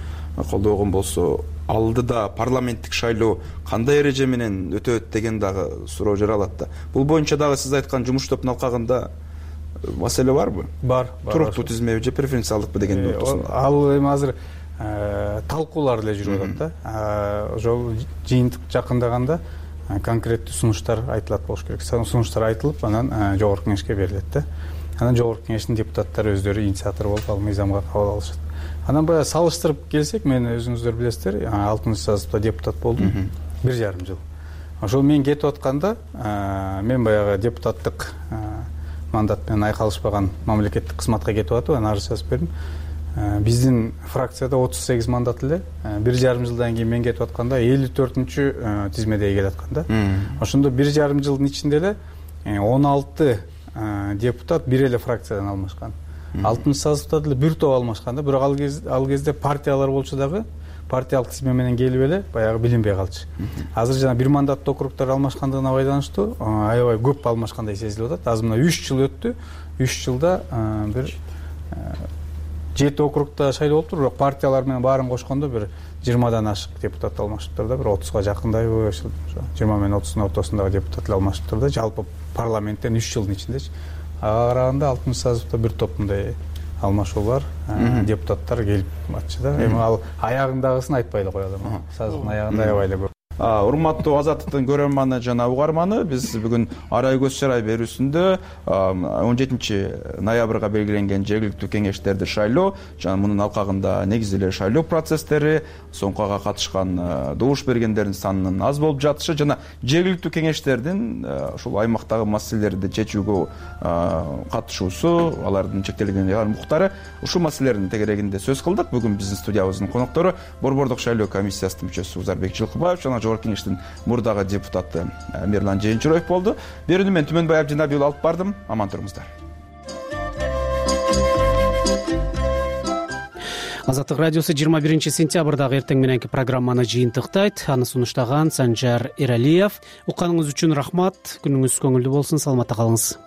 колдогон болсо, алдыда парламенттик шайлоо кандай эреже менен өтөт деген дагы суроо жаралат да. Бул боюнча дагы сиз айткан жумуш топтун алкагында маселе барбы? Бар. Туруктуу тизмеби же преференциалдыкпы дегенди ортосунда? Ал эми азыр талкуулар эле жүрүп атат да. Ошол жыйынтык жакындаганда конкреттүү сунуштар айтылат болуш керек. Сунуштар айтылып, анан жогорку кеңешке берилет да. Анан жогорку кеңештин депутаттары өздөрү инициатор болуп ал мыйзамга кабыл алышат. Анан баягы салыштырып келсек, мен өзүңүздөр билесиздер, 6-сазыпта депутат болдум 1,5 жыл. Ошол мен кетип атканда, мен баягы депутаттык мандат менен айкалышпаган мамлекеттик кызматка кетип атып, анан арыз жазып бердим. Биздин фракцияда 38 мандат эле, 1,5 жылдан кийин мен кетип атканда 54-тизмедеги келе аткан да. Ошондо 1,5 жылдын ичинде эле 16 депутат бир эле фракциядан алмашкан. 6-созывда деле бир топ алмашкан да, бирок ал кезде партиялар болчу дагы партиялык тизме менен келип эле баягы билинбей калчу. Азыр жана бир мандаттуу округдар алмашкандыгына байланыштуу аябай көп алмашкандай сезилип атат. Азыр мына 3 жыл өттү. 3 жылда бир 7 округда шайлоо болуптур, бирок партиялар менен баарын кошкондо бир 20дан ашык депутат алмашыптыр да, бир 30га жакындайбы, 20 менен 30-дун ортосундагы депутат алмашыптыр да, жалпы парламенттен 3 жылдын ичиндечи. Ага караганда 6-созывда бир топ мындай алмашуу бар, депутаттар келип атчы да. Эми ал аягындагысын айтпай эле коелу. Сазыктын аягында аябай эле көп. Урматтуу Азаттыктын көрөрманы жана угарманы, биз бүгүн Арай көз чарай берүүсүндө 17 ноябрга белгиленген жергиликтүү кеңештерди шайлоо жана мунун алкагында негизи эле шайлоо процесстери, соңкуга катышкан добуш бергендердин санынын аз болуп жатышы жана жергиликтүү кеңештердин ушул аймактагы маселелерди чечүүгө катышуусу, алардын чектелген укуктары, ушул маселелердин тегерегинде сөз кылдык. Бүгүн биздин студиябыздын коноктору Борбордук шайлоо комиссиясынын мүчөсү Узарбек Жылкыбаев жана Жогорку кеңештин мурдагы депутаты Мирлан Жээнчуроев болду. Берүүнү мен Түмөнбай Абдинабиев алып бардым. Аман туруңуздар. Азаттык радиосу 21 сентябрдагы эртең мененки программаны жыйынтыктайт. Аны сунуштаган Санжар Эралиев. Укканыңыз үчүн рахмат. Күнүңүз көңүлдүү болсун. Саламатта калыңыз.